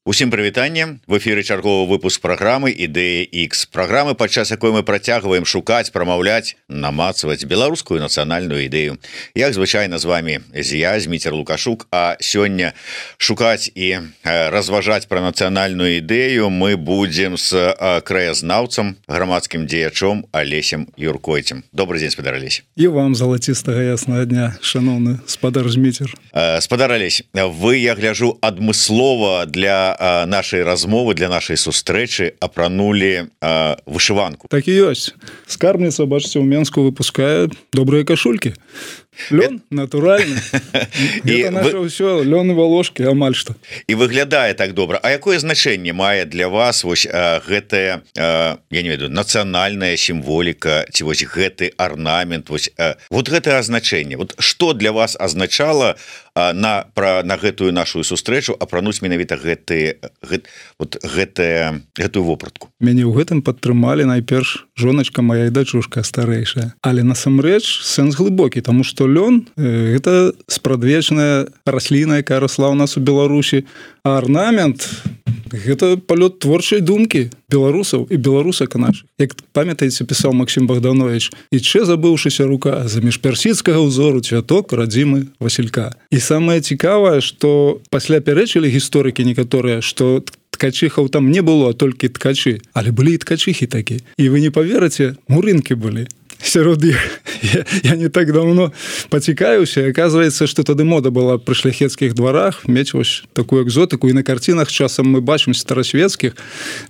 Усім прывітанне, в эфіры чарговы выпуск праграмы Ідэя X. Праграмы, падчас якой мы працягваем шукаць, прамаўляць, намацваць беларускую нацыянальную ідэю. Як звычайна з вами я, Зміцер Лукашук, а сёння шукаць і разважаць пра нацыянальную ідэю мы будзем з краязнаўцам, грамадскім дзеячом Алесем Юркойцем. Добрый дзень, спадар Алесь. І вам залацістага яснага дня, шановны спадар Зміцер. Спадар Алесь, вы, я гляжу, адмыслова для нашай размовы, для нашай сустрэчы апранулі вышыванку. Так і ёсць. Скарбніца, бачыце, у Менску выпускае добрыя кашулькі. Лён натуральны. Это наше ўсё, лён і валошкі, амаль што. І выглядае так добра. А якое значэнне мае для вас вось гэтая, я не ведаю, нацыянальная сімволіка, ці вось гэты арнамент, вось вот гэтае азначэнне. Вот што для вас азначала на гэтую нашу сустрэчу апрануць менавіта гэтую вопратку? Мяне ў гэтым падтрымалі найперш жоначка моя і дачушка старэйшая. Але насамрэч сэнс глыбокі, таму што лён гэта спрадвечная расліна, якая расла ў нас у Беларусі, а арнамент гэта палёт творчай думкі беларусаў і беларусак нашых. Як памятаеце, пісаў Максім Богданович: «Іччэ забыўшыся рука, заміж персідскага ўзору цвяток радзімы Васілька». І самае цікавае, што пасля пярэчылі гісторыкі некаторыя, што ткачыхаў там не было, а толькі ткачы, але былі і ткачыхі такі. І вы не паверыце, мурынкі былі сярод іх. Я не так давно пацікаюся, аказваецца, што тады мода была пры шляхецкіх дварах мець вось такую экзотыку, і на карцінах часам мы бачым старасвецкіх,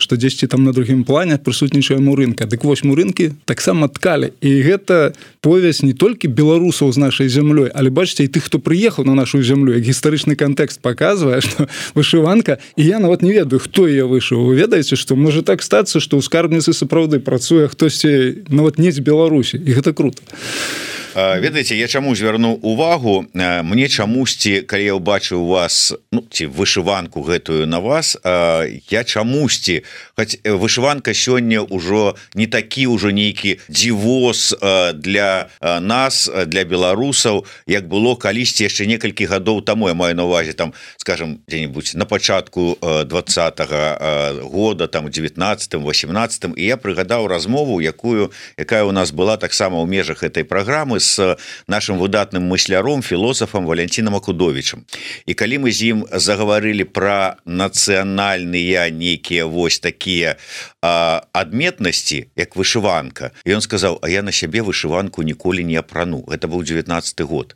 што дзесьці там на другім плане прысутнічае мурынка. Дык вось мурынкі таксама ткалі. І гэта повязь не толькі беларусаў з нашай зямлёй, але бачыце, і тых, хто прыехаў на нашу зямлю, як гістарычны кантэкст паказвае, што вышыванка, і я нават не ведаю, хто яе вышыў. Вы ведаеце, што можа так стацца, што ў скарбніцы сапраўды працуе хтосьці нават не з Беларусі, і гэта круто. Ведаеце, я чаму звярнуў увагу, мне чамусьці, калі я ўбачыў у вас, ці вышыванку гэтую на вас, я чамусьці, хоць вышыванка сёння ўжо не такі ўжо нейкі дзівоз для нас, для беларусаў, як было калісьці яшчэ некалькі гадоў таму, я маю на ўвазе там, скажем, дзе-небудзь на пачатку 20-го года, там 19-м, 18-м, і я прыгадаў размову, якая у нас была таксама ў межах гэтай праграмы с нашим выдатным мысляром, філосафам Валянцінам Акудовічам. І калі мы з ім загаварылі пра нацыянальныя нейкія вось такія адметнасці, як вышыванка, і ён сказаў: а я на сябе вышыванку ніколі не апрану. Гэта быў 19-й год.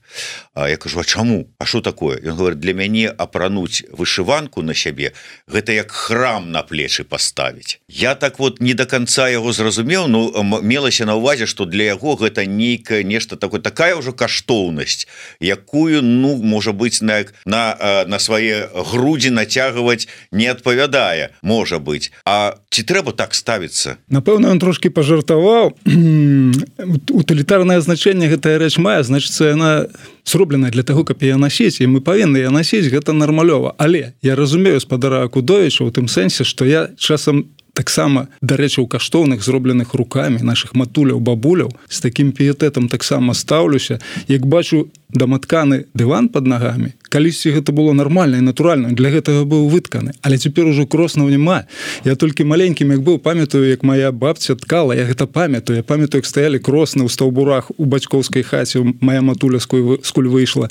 Я кажу: а чаму? А што такое? Ён говорит: для мяне апрануць вышыванку на сябе гэта як храм на плечы паставіць. Я так вот не до конца яго зразумеў, но мелася на ўвазе, што для яго гэта нейкае нешта такая ўжо каштоўнасць, якую, можа быць, на свае грудзі нацягваць не адпавядае, можа быць. А ці трэба так ставіцца? Напэўна, ён трошки пажартаваў. Утылітарнае значэнне гэтая рэч мае, значыцца, яна зробленая для таго, каб яе насіць, і мы павінны яе насіць, гэта нармалёва. Але я разумею спадара Акудовіча ў тым сэнсе, што я часам таксама, дарэчы, у каштоўных, зробленых рукамі нашых матуляў, бабуляў, з такім піетэтам таксама стаўлюся. Як бачу даматканы дыван пад нагамі, калісьці гэта было нармальна і натуральна, для гэтага быў вытканы, але цяпер ужо кроснаў няма. Я толькі маленькім, як быў, памятаю, як моя бабця ткала, я гэта памятаю. Я памятаю, як стаялі кросны ў стаўбурах у бацькоўскай хаце, моя матуля скуль выйшла.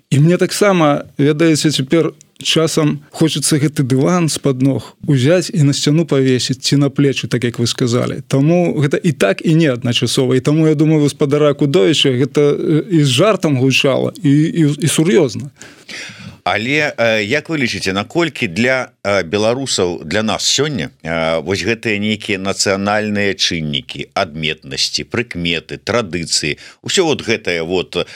І мне таксама, ведаеце, цяпер часам хочацца гэты дыван з-пад ног узяць і на сцяну павесіць, ці на плечы, так як вы сказалі. Таму гэта і так, і не адначасова. І таму, я думаю, спадара Акудовіча гэта і з жартам гучала, і сур'ёзна. Але як вы лічыце, наколькі для беларусаў, для нас сёння вось гэтыя нейкія нацыянальныя чыннікі, адметнасці, прыкметы, традыцыі, усё вот гэтая вот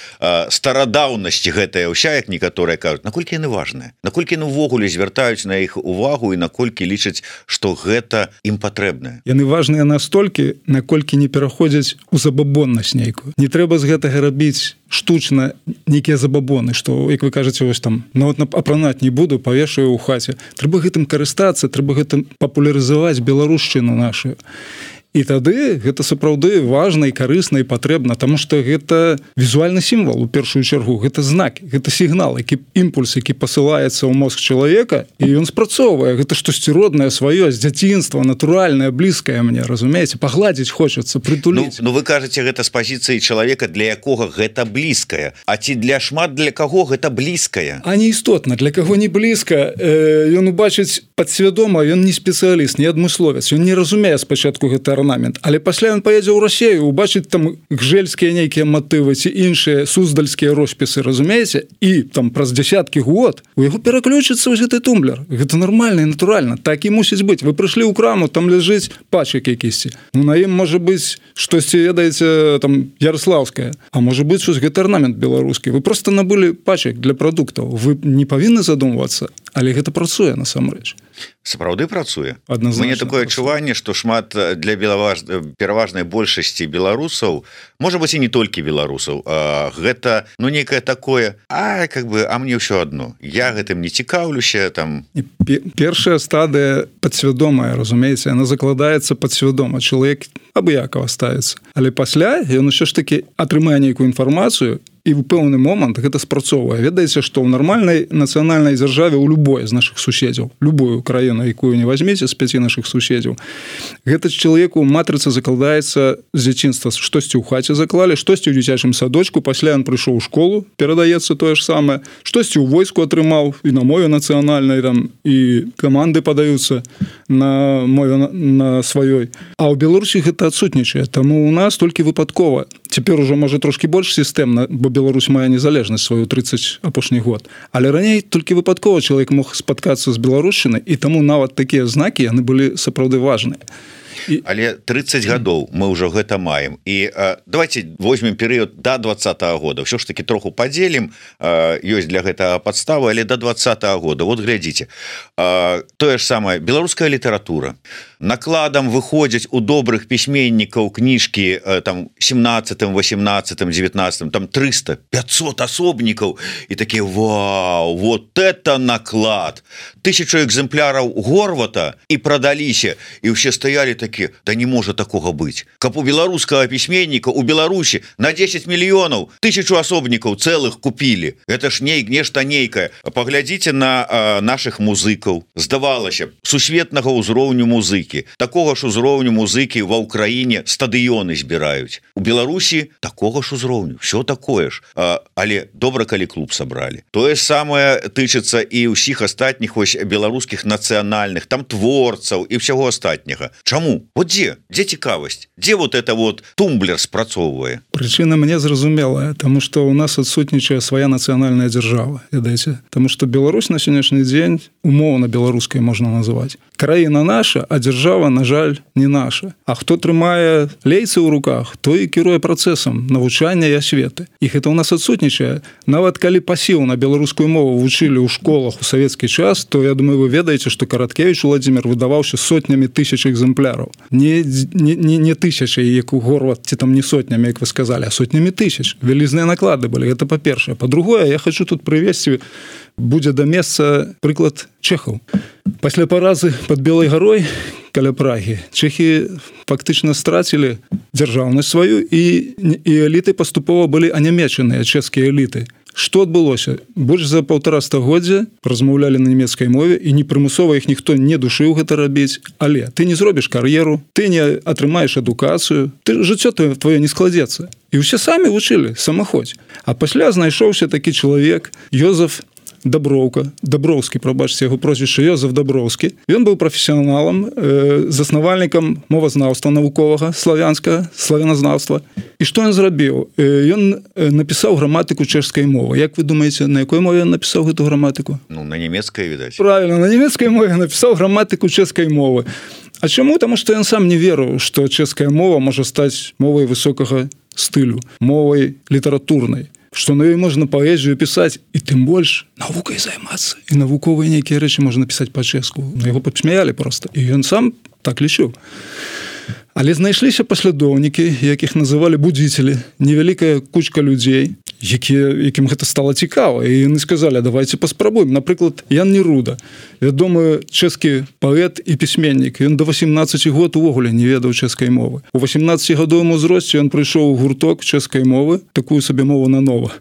старадаўнасць гэтая ўся, як некаторыя кажуць, наколькі яны важныя? Наколькі яны ўвогуле звяртаюць на іх увагу і наколькі лічаць, што гэта ім патрэбнае? Яны важныя настолькі, наколькі не пераходзяць у забабоннасць нейкую. Не трэба з гэтага рабіць штучна нейкія забабоны, што, як вы кажаце, вось там, нават апранаць не буду, павешаю ў хаце. Трэба гэтым карыстацца, трэба гэтым папулярызаваць беларушчыну нашу. І тады гэта сапраўды важна і карысна і патрэбна, таму што гэта візуальны сімвал у першую чаргу, гэта знак, гэта сігнал, які імпульс, які пасылаецца ў мозг чалавека, і ён спрацоўвае, гэта штосьці роднае сваё з дзяцінства, натуральнае, блізкае мне, разумееце, пагладзіць хочацца, прытуліць. Ну вы кажаце, гэта з пазіцыі чалавека, для якога гэта блізкае, а ці для шмат для каго гэта блізкае? А не істотна, для каго не блізка, ён убачыць падсвядома, ён не спецыяліст, не адмысловец, ён не разумее спачатку гэта арнамент, але пасля ён паедзе ў Расію, убачыць там гжельскія нейкія матывы ці іншыя суздальскія роспісы, разумееце, і там праз дзясяткі год у яго пераключыцца вось гэты тумблер. Гэта нармальна і натуральна, так і мусіць быць. Вы прыйшлі ў краму, там ляжыць пачак якісьці. Ну на ім можа быць штосьці, ведаеце, там ярослаўскае, а можа быць вось гэты арнамент беларускі. Вы проста набылі пачак для прадуктаў. Вы не павінны задумвацца, але гэта працуе насамрэч. Сапраўды працуе. Адназначна. Мне такое адчуванне, што шмат для пераважнай большасці беларусаў, можа быць і не толькі беларусаў, гэта ну нейкае такое, а мне ўсё адно. Я гэтым не цікаўлюся там. Першая стадыя падсвядомая, разумееце, яна закладаецца падсвядома. Чалавек абыякава ставіцца. Але пасля ён усё ж такі атрымае нейкую інфармацыю, і ў пэўны момант гэта спрацоўвае. Ведаеце, што ў нармальнай нацыянальнай дзяржаве ў любой з нашых суседзяў, любую краіну, якую не возьмеце з 5 нашых суседзяў, гэта чалавеку матрыца закладаецца з дзяцінства. Штосьці ў хаце заклалі, штосьці ў дзіцячым садочку, пасля ён прыйшоў у школу, перадаецца тое ж самае, штосьці ў войску атрымаў і на мове нацыянальнай, там і каманды падаюцца на мове на сваёй. А ў Беларусі гэта адсутнічае, таму у нас толькі выпадкова. Цяпер ужо можа трошкі больш сістэмна, бо Беларусь мае незалежнасць сваю 30 апошні год. Але раней толькі выпадкова чалавек мог спаткацца з беларушчынай, і таму нават такія знакі яны былі сапраўды важныя. Але 30 гадоў мы ўжо гэта маем. І давайте возьмем перыяд до 20-го года. Ўсё ж таки троху падзелім, ёсць для гэтага падставы, але до 20-го года. Вот глядзіце. Тое ж самае, беларуская літаратура. Накладам выходзяць у добрых пісьменнікаў кніжкі там 17, 18, 19, там 300, 500 асобнікаў. І такі, вау, вот это наклад. 1000 экземпляраў Горвата і прадаліся. І ўсе стаялі такі, да не можа такога быць. Каб у беларускага пісьменніка у Беларусі на 10 мільёнаў 1000 асобнікаў цэлых купілі. Гэта ж нешта нейкае. Паглядзіце на нашых музыкаў. Здавалася, сусветнага ўзроўню музыкі. Такога ж узроўню музыкі ва ўкраіне стадыёны збіраюць. У Беларусі такога ж узроўню. Всё такое ж. Але добра, калі клуб сабралі. Тое самае тычыцца і ўсіх астатніх вось беларускіх нацыянальных, там творцаў і ўсяго астатняга. Чаму? Вот дзе цікавасць? Дзе вот это вот тумблер спрацоўвае? Прычына мне зразумелая, таму што ў нас адсутнічае свая нацыянальная дзяржава, ведаеце? Таму што Беларусь на сённяшні дзень умоўна беларускай можна называць. Краіна наша, а дзяржава, на жаль, не наша. А хто трымае лейцы ў руках, той і кіруе працэсам навучання і асветы. І гэта ў нас адсутнічае. Нават калі пасіў на беларускую мову вучылі ў школах у савецкі час, то я думаю, вы ведаеце, што Караткевіч Уладзімір выдаваўся сотнямі тысяч экземпляраў. Не тысячай, як у Горват, ці там не сотнямі, як вы сказалі, а сотнямі тысяч. Вялізныя наклады былі, гэта па-першае. Па-другое, я хочу тут прывесці, будзе да месца прыклад чэхаў. Пасля паразы пад Белай гарой каля Прагі чэхі фактычна страцілі дзяржаўнасць сваю, і эліты паступова былі анямечаныя, чэшскія эліты. Што адбылося? Больш за 1,5 стагоддзя размаўлялі на нямецкай мове, і непрымусова іх ніхто не душыў гэта рабіць. Але ты не зробіш кар'еру, ты не атрымаеш адукацыю, жыццё твоё не складзецца. І ўсе самі вучылі самаходзь. А пасля знайшоўся такі чалавек Йозеф Даброўскі, прабачце яго прозвішча, Йозеф Даброўскі. Ён быў прафесіяналам, заснавальнікам мовазнаўства навуковага, славяназнаўства. І што ён зрабіў? Ён напісаў граматыку чэшскай мовы. Як вы думаеце, на якой мове ён напісаў гэту граматыку? Ну, на нямецкай, відаць. Правильно, на нямецкай мове напісаў граматыку чэшскай мовы. А чаму? Таму што ён сам не верыў, што чэшская мова можа стаць мовай высокага стылю, мовай літаратурнай, што на ёй можна паэзію пісаць, і тым больш навукай займацца. І навуковыя нейкія рэчы можна пісаць па-чэшску. Яго падсмяялі проста. І ён сам так лічыў. Але знайшліся паслядоўнікі, якіх называлі будзіцелі, невялікая кучка людзей, якім гэта стала цікава, і яны сказалі, давайте паспрабуем. Напрыклад, Ян Неруда, вядомы чэшскі паэт і пісьменнік. Ён до 18 год увогуле не ведаў чэшскай мовы. У 18-гадовым узросце ён прыйшоў у гурток чэшскай мовы, такую сабе мову нанова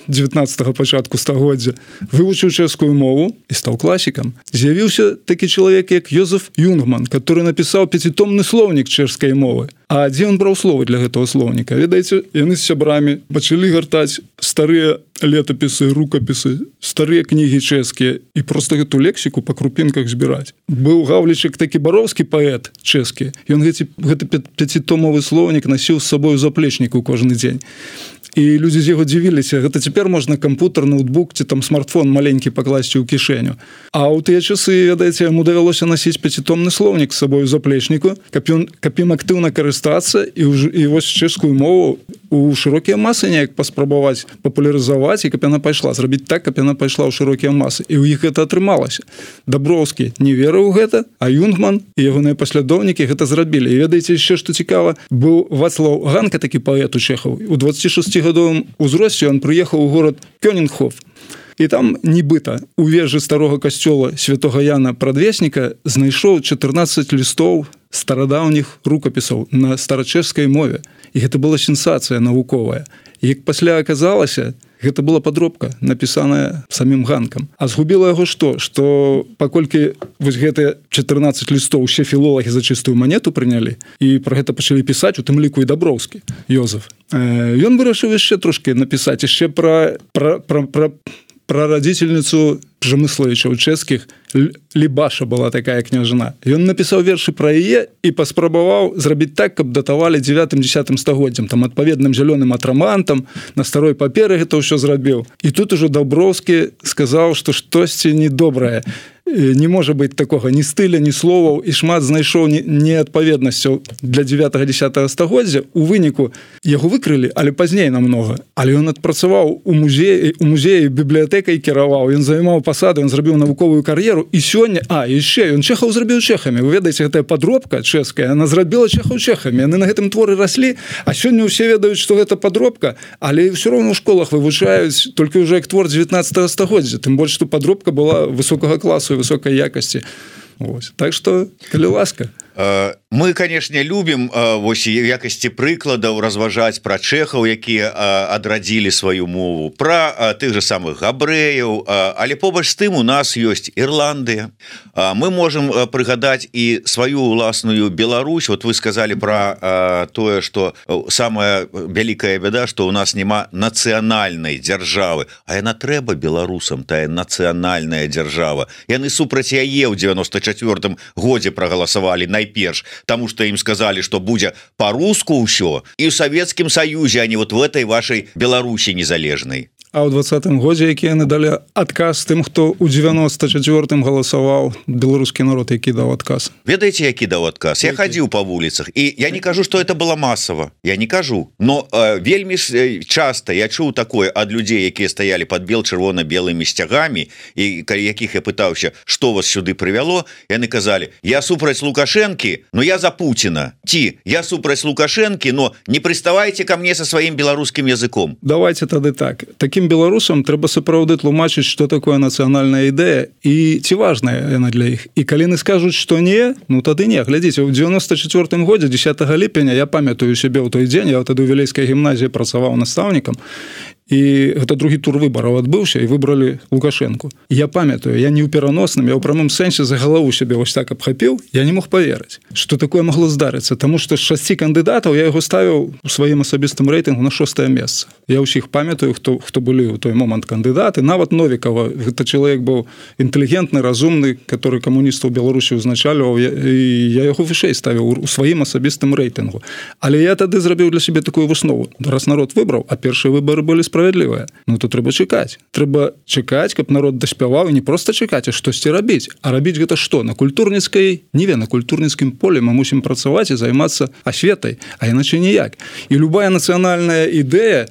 19-го пачатку стагоддзя, вывучыў чэшскую мову і стаў класікам. З'явіўся такі чалавек, як Йозеф Юнгман, который напісаў 5-томны слоўнік чэшскай мовы. А дзе ён браў словы для гэтага слоўніка? Ведаеце, яны з сябрамі пачалі гартаць старыя летапісы, рукапісы, старыя кнігі чэшскія і проста гэту лексіку па крупінках збіраць. Быў Гаўлічык такі бароўскі паэт чэшскі. Ён гэты 5-томовы слоўнік насіў з сабою у заплечніку кожны дзень. І людзі з яго дзівіліся, гэта цяпер можна кампутер, ноутбук ці там смартфон маленькі пакласці ў кішэню. А ў тыя часы, ведаеце, яму давялося насіць 5-томны слоўнік з сабою у заплечніку, каб ім актыўна карыстацца і вось чэшскую мову у шырокія масы неяк паспрабаваць папулярызаваць, і каб яна пайшла, зрабіць так, каб яна пайшла ў шырокія масы. І ў іх гэта атрымалася. Даброўскі не верыў у гэта, а Юнгман і ягоныя паслядоўнікі гэта зрабілі. І ведаеце, яшчэ што цікава, быў Вацлаў Ганка, такі паэт у Чэхаў. У 26-гадовым узросце ён прыехаў у горад Кёнінхоф. І там нібыта у вежы старога касцёла святога Яна Прадвесніка знайшоў 14 лістоў старадаўніх рукапісаў на старачэшскай мове. І гэта была сенсацыя навуковая. І як пасля аказалася, гэта была падробка, напісаная самім Ганкам. А згубіла яго што? Што паколькі вось гэтыя 14 лістоў усе філолагі за чыстую манету прынялі, і пра гэта пачалі пісаць, у тым ліку і Даброўскі, Йозеф. Ён вырашыў яшчэ трошкі напісаць, яшчэ пра радзіцельніцу Прамысловічаў чэшскіх, Лібаша была такая княжна. Ён напісаў вершы пра яе і паспрабаваў зрабіць так, каб датавалі 9-10 стагоддзям, там адпаведным зялёным атрамантам, на старой паперы гэта ўсё зрабіў. І тут ужо Даброўскі сказаў, што штосьці недобрае. Не можа быць такога ні стыля, ні словаў, і шмат знайшоў неадпаведнасцяў для 9-10 стагоддзя. У выніку яго выкрылі, але пазней намнога. Але ён адпрацаваў у музеі бібліятэкай кіраваў, ён займаў пасаду, ён зрабіў навуковую кар'еру, і сёння, яшчэ ён чэхаў зрабіў чэхамі. Вы ведаеце, гэтая падробка чэшская, яна зрабіла чэхаў чэхамі. Яны на гэтым творы раслі, а сёння ўсе ведаюць, што гэта падробка, але ўсё роўна ў школах вывучаюць толькі ўжо як твор 19 стагоддзя. Тым больш, што падробка была высокага класу і высокай якасці. Так што, калі ласка. Мы, канешне, любім вось якасці прыкладаў разважаць пра чэхаў, якія адрадзілі сваю мову, пра тых жа самых габрэяў, але побач з тым у нас ёсць Ірландыя. Мы можам прыгадаць і сваю ўласную Беларусь. Вот вы сказалі пра тое, што самая вялікая бяда, што ў нас няма нацыянальнай дзяржавы, а яна трэба беларусам, тая нацыянальная дзяржава. Яны супраць яе ў 94-м годзе прагаласавалі найперш, таму што ім сказалі, што будзе па-руску ўсё, і ў Савецкім Саюзе, а не вот в этой вашай Беларусі незалежнай. А ў 20-м годзе, які яны далі адказ тым, хто ў 94-м галасаваў, беларускі народ, які даў адказ. Ведаеце, які даў адказ? Я хадзіў па вуліцах, і я не кажу, што это было масава. Я не кажу. Но вельмі часта я чуў такое ад людзей, якія стаялі пад чырвона-белымі сцягамі, і калі якіх я пытаўся, што вас сюды прывяло, яны казалі, я супраць Лукашэнкі, но я за Пуціна. Ці, я супраць Лукашэнкі, но не прыставайце ка мне са сваім беларускім языком. Давайте тады так. Такім беларусам трэба сапраўды тлумачыць, што такое нацыянальная ідэя і ці важная яна для іх. І калі яны скажуць, што не, ну тады не. Глядзіце, ў 94-м годзе 10 ліпеня я памятаю сябе ў той дзень, я тады ў Вілейскай гімназіі працаваў настаўнікам, і гэта другі тур выбараў адбыўся, і выбралі Лукашэнку. Я памятаю, я не ў пераносным, я ў прамым сэнсе за галаву сябе вось так абхапіў, я не мог паверыць, што такое магло здарыцца, таму што з 6 кандыдатаў я яго ставіў у сваім асабістым рэйтынгу на 6-е месца. Я ўсіх памятаю, хто былі ў той момант кандыдаты, нават Новікава, гэта чалавек быў інтэлігентны, разумны, который камуністаў Беларусі ўзначальваў, і я яго вышэй ставіў у сваім асабістым рэйтынгу. Але я тады зрабіў для сябе такую выснову. Раз народ выбраў, а першыя выбары былі справядлівыя, ну то трэба чакаць. Трэба чакаць, каб народ даспяваў, і не проста чакаць, а штосьці рабіць. А рабіць гэта што? На культурніцкай ніве, на культурніцкім полі мы мусім працаваць і займацца асветай, а іначай ніяк. І любая нацыянальная ідэя,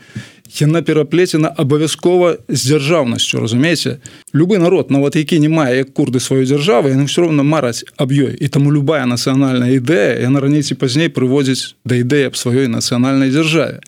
яна пераплецена абавязкова з дзяржаўнасцю, разумееце? Любы народ, нават які не мае як курды сваёй дзяржавы, яны ўсё роўна мараць аб ёй. І таму любая нацыянальная ідэя, яна раней ці пазней прыводзіць да ідэі аб сваёй нацыянальнай дзяржаве.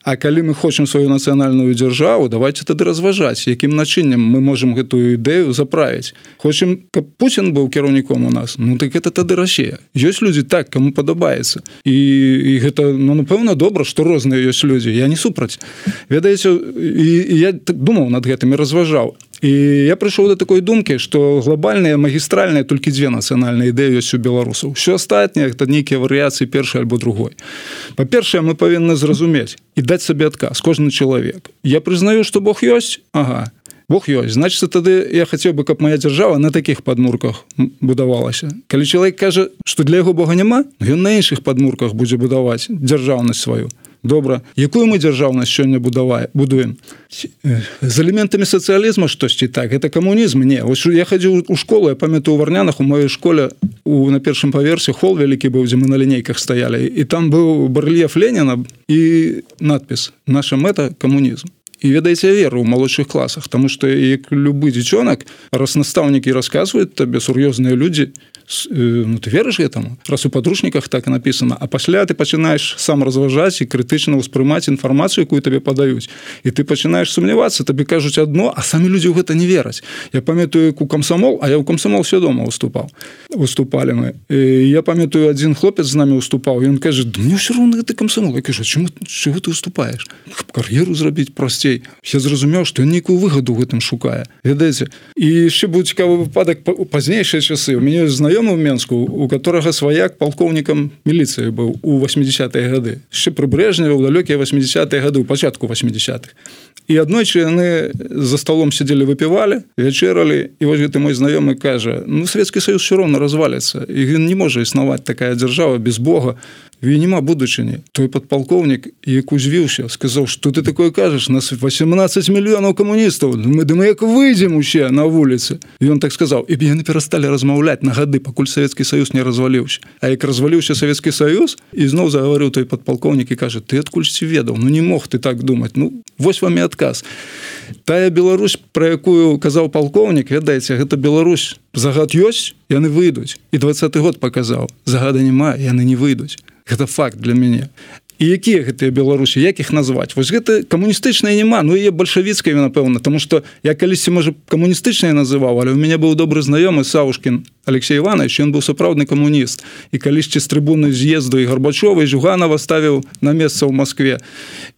А калі мы хочам сваю нацыянальную дзяржаву, давайте тады разважаць, якім начыннем мы можам гэтую ідэю заправіць. Хочам, каб Путін быў кіраўніком у нас, ну так гэта тады Расія. Ёсць людзі так, каму падабаецца. І гэта, ну, напэўна, добра, што розныя ёсць людзі. Я не супраць. Ведаеце, і я думаў над гэтым і разважаў. І я прыйшоў да такой думкі, што глобальныя, магістральныя толькі дзве нацыянальныя ідэі ёсць у беларусаў. Усё астатняе гэта нейкія варыяцыі першай альбо другой. Па-першае, мы павінны зразумець і даць сабе адказ, кожны чалавек. Я прызнаю, што Бог ёсць? Ага. Бог ёсць. Значыць, тады я хацеў бы, каб моя дзяржава на такіх падмурках будавалася. Калі чалавек кажа, што для яго Бога няма, ён на іншых падмурках будзе будаваць дзяржаўнасць сваю. Добра. Якую мы дзяржаўнасць сёння будуем? З элементамі сацыялізма штосьці так. Гэта камунізм? Не. Вось я хадзіў у школу, я памятаю, у Варнянах, у маёй школе на першым паверсе хол вялікі быў, дзе мы на лінейках стаялі. І там быў барэльеф Леніна і надпіс «Наша мэта – камунізм». І ведаеце, я веру ў малодшых класах, таму што як любы дзіцёнак, раз настаўнікі расказваюць табе, сур'ёзныя людзі, ну ты верыш гэтаму? Раз у падручніках так і напісана, а пасля ты пачынаеш сам разважаць і крытычна ўспрымаць інфармацыю, якую табе падаюць. І ты пачынаеш сумнявацца, табе кажуць адно, а самі людзі ў гэта не вераць. Я памятаю, як у камсамол, а я ў камсамол свядома выступалі мы. І я памятаю, адзін хлопец з намі выступаў, і ён кажа, да мне ўсё роўна гэты камсамол. Я кажу, чаго ты выступаеш? Кар'еру зрабіць прасцей. Я зразумеў, што ён нейкую выгаду ў гэтым шукае. Ведаеце? І яшчэ быў цікавы выпадак у пазнейшыя часы. У мяне знаёмы ў Менску, у которого сваяк палкоўнікам міліцыі быў у 80-е гады. Яшчэ пры Брэжневе ў далёкія 80-е гады, у пачатку 80-х. І аднойчы яны за столом сидзелі, выпівалі, вячэралі, і вось гэты мой знаёмы кажа, ну, Савецкі Саюз ўсё роўна разваліцца, і ён не можа існаваць такая дзяржава без Бога, і няма будучыні. Той падпалкоўнік, як узвіўся, сказаў, што ты такое кажаш, нас 18 мільёнаў камуністаў, мы як выйдзем усе на вуліцы. І ён так сказаў, і яны перасталі размаўляць на гады, пакуль Савецкі Саюз не разваліўся. А як разваліўся Савецкі Саюз, і зноў загаварыў той падпалкоўнік і кажа, ты адкульсьці ведаў, ну не мог ты так думаць, ну вось вам і адказ. Тая Беларусь, пра якую казаў палкоўнік, ведаеце, гэта Беларусь, загад ёсць, яны выйдуць. І 20-й год паказаў, загада няма, яны не выйдуць. Гэта факт для мяне. І якія гэтыя Беларусі, як іх назваць? Вось гэта камуністычныя няма, ну і бальшавіцкая, напэўна, таму што я калісьці, можа, камуністычныя называў, але ў мяне быў добры знаёмы Саўшкін Алексей Іванович, ён быў сапраўдны камуніст. І калісьці з трыбуны з'езду і Гарбачова, і Жуганова ставіў на месца ў Маскве.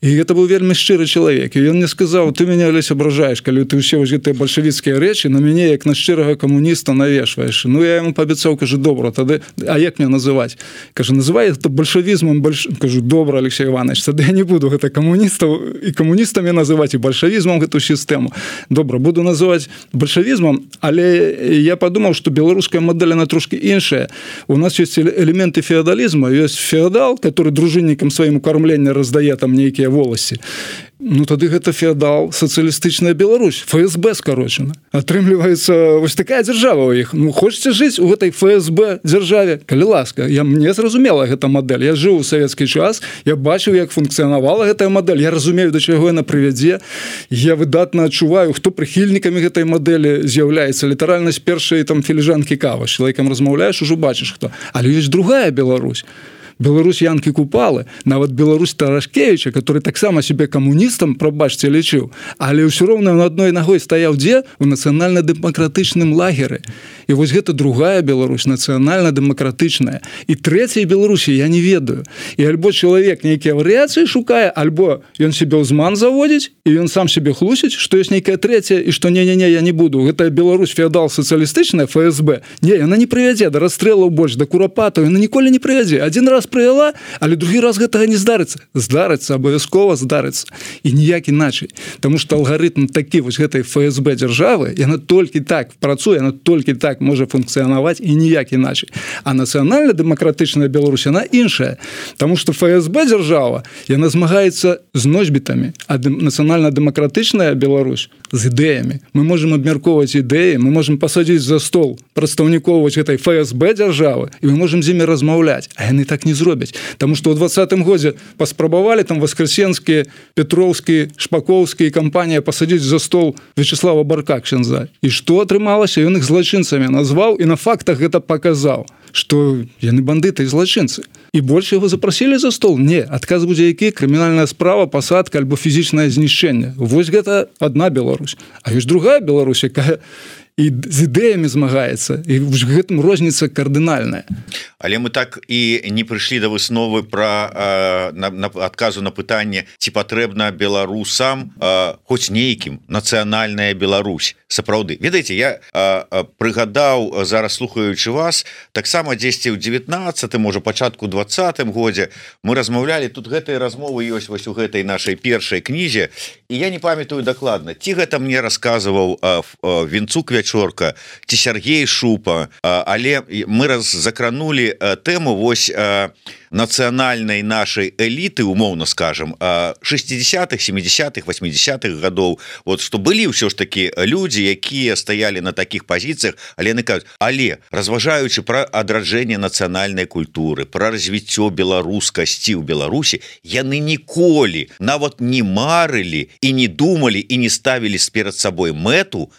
І гэта быў вельмі шчыры чалавек. І ён мне сказаў, ты мяне, Алесь, абражаеш, калі ты ўсе вось гэтыя бальшавіцкія рэчы на мяне, як на шчырага камуніста, навешваеш. Ну, я яму паабяцаў, кажу, добра, тады, а як мне называць? Кажу, называй гэта бальшавізмам, кажу, добра, Алексей Иванович, тады я не буду гэта камуністаў і камуністамі называць, і бальшавізмам гэту сістэму. Добра, буду называць бальшавізмам, але я падумаў, што беларуская модель, она трошки іншая. У нас есть элементы феодализма, есть феодал, который дружинникам своим кормлення раздае там нейкія воласці. Ну, тады гэта феодал, сацыялістычная Беларусь, ФСБ скарочана. Атрымліваецца вось такая дзяржава ў іх. Ну, хочаце жыць у гэтай ФСБ дзяржаве? Калі ласка, мне зразумела гэта мадэль. Я жыў у савецкі час, я бачыў, як функцыянавала гэтая мадэль, я разумею, да чаго яна прывядзе. Я выдатна адчуваю, хто прыхільнікамі гэтай мадэлі з'яўляецца. Літаральна з першай там філіжанкі кавы. З чалавекам размаўляеш, ужо бачыш хто. Але ёсць другая Беларусь. Беларусь Янкі Купалы, нават Беларусь Тарашкевіча, который таксама себе камуністам, прабачце, лічыў, але ўсё роўна на адной нагой стаяў дзе? У нацыянальна-дэмакратычным лагеры. І вось гэта другая Беларусь, нацыянальна-дэмакратычная. І трэцяй Беларусі я не ведаю. І альбо чалавек нейкія варыяцыі шукае, альбо ён себе ўзман заводзіць, і ён сам себе хлусіць, што ёсць нейкая трэцяя, і што не-не-не, я не буду. Гэта Беларусь феодал сацыялістычная, ФСБ. Не, яна не прывядзе да расстрэлаў больш, да курапатаў, яна ніколі не прывядзе. Адзін раз прывяла, але другі раз гэтага не здарыцца. Здарыцца, абавязкова здарыцца. І ніяк іначай. Таму што алгарытм такі вось гэтай ФСБ дзяржавы, яна толькі так працуе, яна толькі так можа функцыянаваць і ніяк іначай. А нацыянальна-дэмакратычная Беларусь, яна іншая. Таму што ФСБ дзяржава, яна змагаецца з носьбітамі, а нацыянальна-дэмакратычная Беларусь з ідэямі. Мы можам абмяркоўваць ідэі, мы можам пасадзіць за стол прадстаўнікоў вось гэтай ФСБ дзяржавы, і мы можам з імі размаўляць. А яны так не зробяць. Таму што ў 20-м годзе паспрабавалі там Воскресенскі, Петроўскі, Шпаковскі і кампанія пасадзіць за стол Вячеслава Барка ксяндза. І што атрымалася? Ён іх злачынцамі бандытамі назваў і на фактах гэта паказаў, што яны бандыты і злачынцы. І больш яго запрасілі за стол? Не, адказ будзе які? Крымінальная справа, пасадка альбо фізічнае знішчэнне. Вось гэта адна Беларусь. А ёсць другая Беларусь, якая і з ідэямі змагаецца, і в гэтым розніца кардынальная. Але мы так і не прыйшлі да высновы пра адказу на пытанне, ці патрэбна беларусам хоць нейкім нацыянальная Беларусь. Сапраўды, ведаеце, я прыгадаў зараз, слухаючы вас, таксама дзесьці ў 19, можа пачатку 20 годзе мы размаўлялі, тут гэтыя размовы ёсць вось у гэтай нашай першай кнізе, і я не памятаю дакладна, ці гэта мне расказваў Вінцук Вячорка, ці Сергей Шупа, але мы закранули тэму вось нацыянальнай нашай эліты, умоўна скажем, 60-х, 70-х, 80-х гадоў, вот што былі ўсё ж такі людзі, якія стаялі на такіх пазіцыях, але яны кажуць, але разважаючы пра адраджэнне нацыянальнай культуры, пра развіццё беларускасці ў Беларусі, яны ніколі нават не марылі і не думалі і не ставілі перад сабой мэту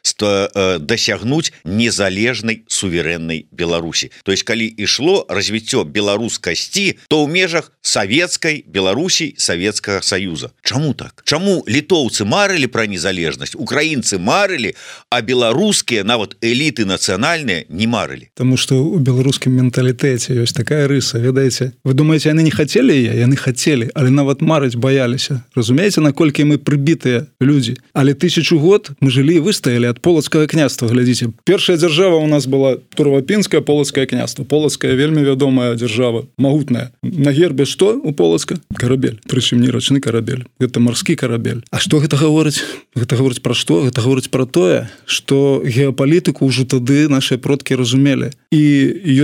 дасягнуць незалежнай суверэннай Беларусі. То есть, калі ішло развіццё беларускасці, то ў межах савецкай Беларусі, Савецкага Саюза. Чаму так? Чаму літоўцы марылі пра незалежнасць, украінцы марылі, а беларускія, нават эліты нацыянальныя, не марылі? Таму што ў беларускім менталітэце ёсць такая рыса, ведаеце? Вы думаеце, яны не хацелі яе? Яны хацелі, але нават марыць баяліся. Разумееце, наколькі мы прыбітыя людзі? Але 1000 год мы жылі і выстаялі ад полацкага княства, глядзіце. Першая дзяржава у нас была Турвапінскае полацкае княства. Полацкая вельмі вядомая дзяржава, магутная. На гербе што у Полацка? Карабель. Прычым не рачны карабель. Гэта марскі карабель. А што гэта гаворыць? Гэта гаворыць пра што? Гэта гаворыць пра тое, што геапалітыку ўжо тады нашыя продкі разумелі. І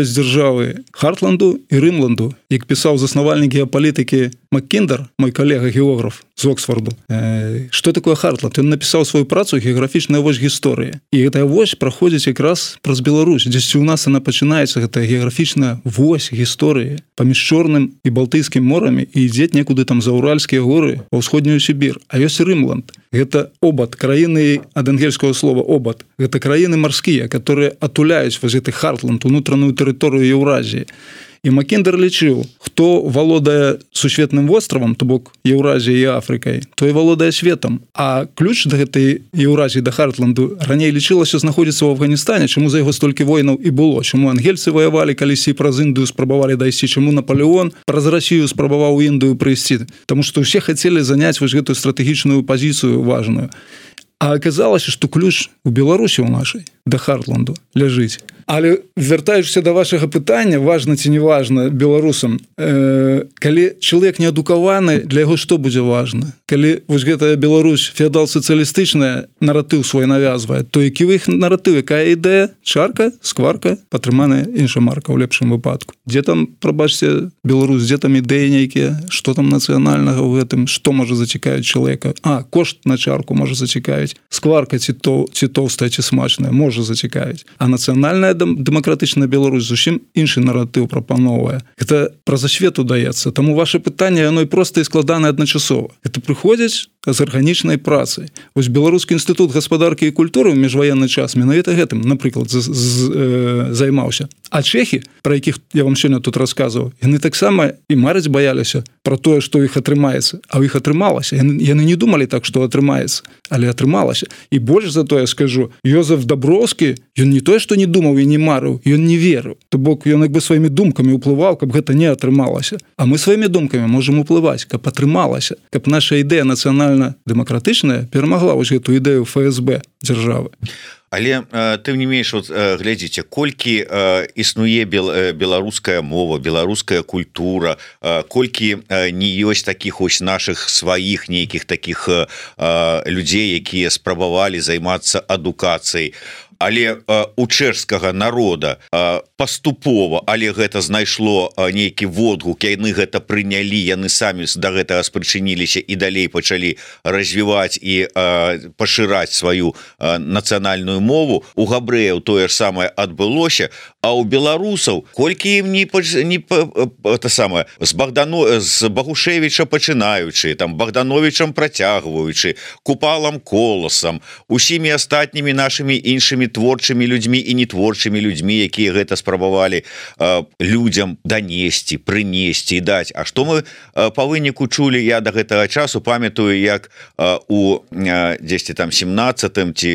ёсць дзяржавы Хартланду і Рымланду. Як пісаў заснавальнік геапалітыкі Маккіндер, мой калега-географ з Оксфорду. Што такое Хартланд? Ён напісаў сваю працу «Геаграфічная вось гісторыі». І гэтая вось праходзіць якраз праз Беларусь. Дзесьці ў нас яна пачынаецца, гэтая геаграфічная вось гісторыі паміж Чорным і Балтыйскім морамі і ідзе некуды там за Уральскія горы ва ўсходнюю Сібір. А ёсць Рымланд. Гэта обад, краіны ад ангельскага слова обад. Гэта краіны марскія, которые атуляюць вось гэты Хартланд, унутраную тэрыторыю Еўразіі. І Маккіндер лічыў, хто валодае сусветным востравам, то бок Еўразіяй і Афрыкай, той валодае светам. А ключ да гэтай Еўразіі, да Хартланду, раней лічылася знаходзіцца ў Афганістане, чаму за яго столькі войнаў і было, чаму ангельцы ваявалі калісьці праз Індыю, спрабавалі дайсці, чаму Наполеон праз Расію спрабаваў у Індыю прыйсці. Таму што ўсе хацелі заняць вось гэтую стратэгічную пазіцыю важную. А аказалася, што ключ у Беларусі ў нашай да Хартланду ляжыць. Але вяртаючыся да вашага пытання, важна ці не важна беларусам, калі чалавек неадукаваны, для яго што будзе важна? Калі вось гэтая Беларусь феадал-сацыялістычная наратыў свой навязвае, то які ў іх наратыў, якая ідэя? Чарка, скварка, падтрыманая інша марка ў лепшым выпадку. Дзе там, прабачце, Беларусь, дзе там ідэі нейкія? Што там нацыянальнага ў гэтым? Што можа зацікавіць чалавека? Кошт на чарку можа зацікавіць. Скварка ці тоўстая, ці смачная можа зацікавіць. А нацыянальная дэмакратычная Беларусь зусім іншы наратыў прапановвае. Гэта праз асвету даецца. Таму ваше пытанне, яно і проста і складанае адначасова. Гэта прыходзіць з арганічнай працай. Вось Беларускі інстытут гаспадаркі і культуры ў міжваенны час менавіта гэтым, напрыклад, займаўся. А чэхі, пра якіх я вам сёння тут расказваў, яны таксама і марыць баяліся пра тое, што ў іх атрымаецца. А ў іх атрымалася. Яны не думалі так, што атрымаецца, але атрымалася. І больш за тое скажу, Йозеф Даброўскі, ён не тое, што не думаў і не марыў, ён не верыў. То бок ён як бы сваімі думкамі ўплываў, каб гэта не атрымалася. А мы сваімі думкамі можам уплываць, каб атрымалася, каб наша ідэя нацыянальна-дэмакратычная перамагла вось гэту ідэю ФСБ дзяржавы. Але тым не менш, глядзіце, колькі існуе беларуская мова, беларуская культура, колькі не ёсць такіх ось нашых сваіх нейкіх такіх людзей, якія спрабавалі займацца адукацыяй. Але у чэшскага народа паступова, але гэта знайшло нейкі водгук, яны гэта прынялі, яны самі да гэтага спрычыніліся і далей пачалі развіваць і пашыраць сваю нацыянальную мову. У габрэяў тое ж самае адбылося, а у беларусаў колькі ім з Багушевіча пачынаючы, там Богдановичам працягваючы, Купалам Коласам, усімі астатнімі нашымі іншымі творчымі людзьмі і нетворчымі людзьмі, якія гэта спрабавалі людзям данесці, прынесці і даць. А што мы па выніку чулі? Я да гэтага часу памятаю, як у дзесьці там 17-м ці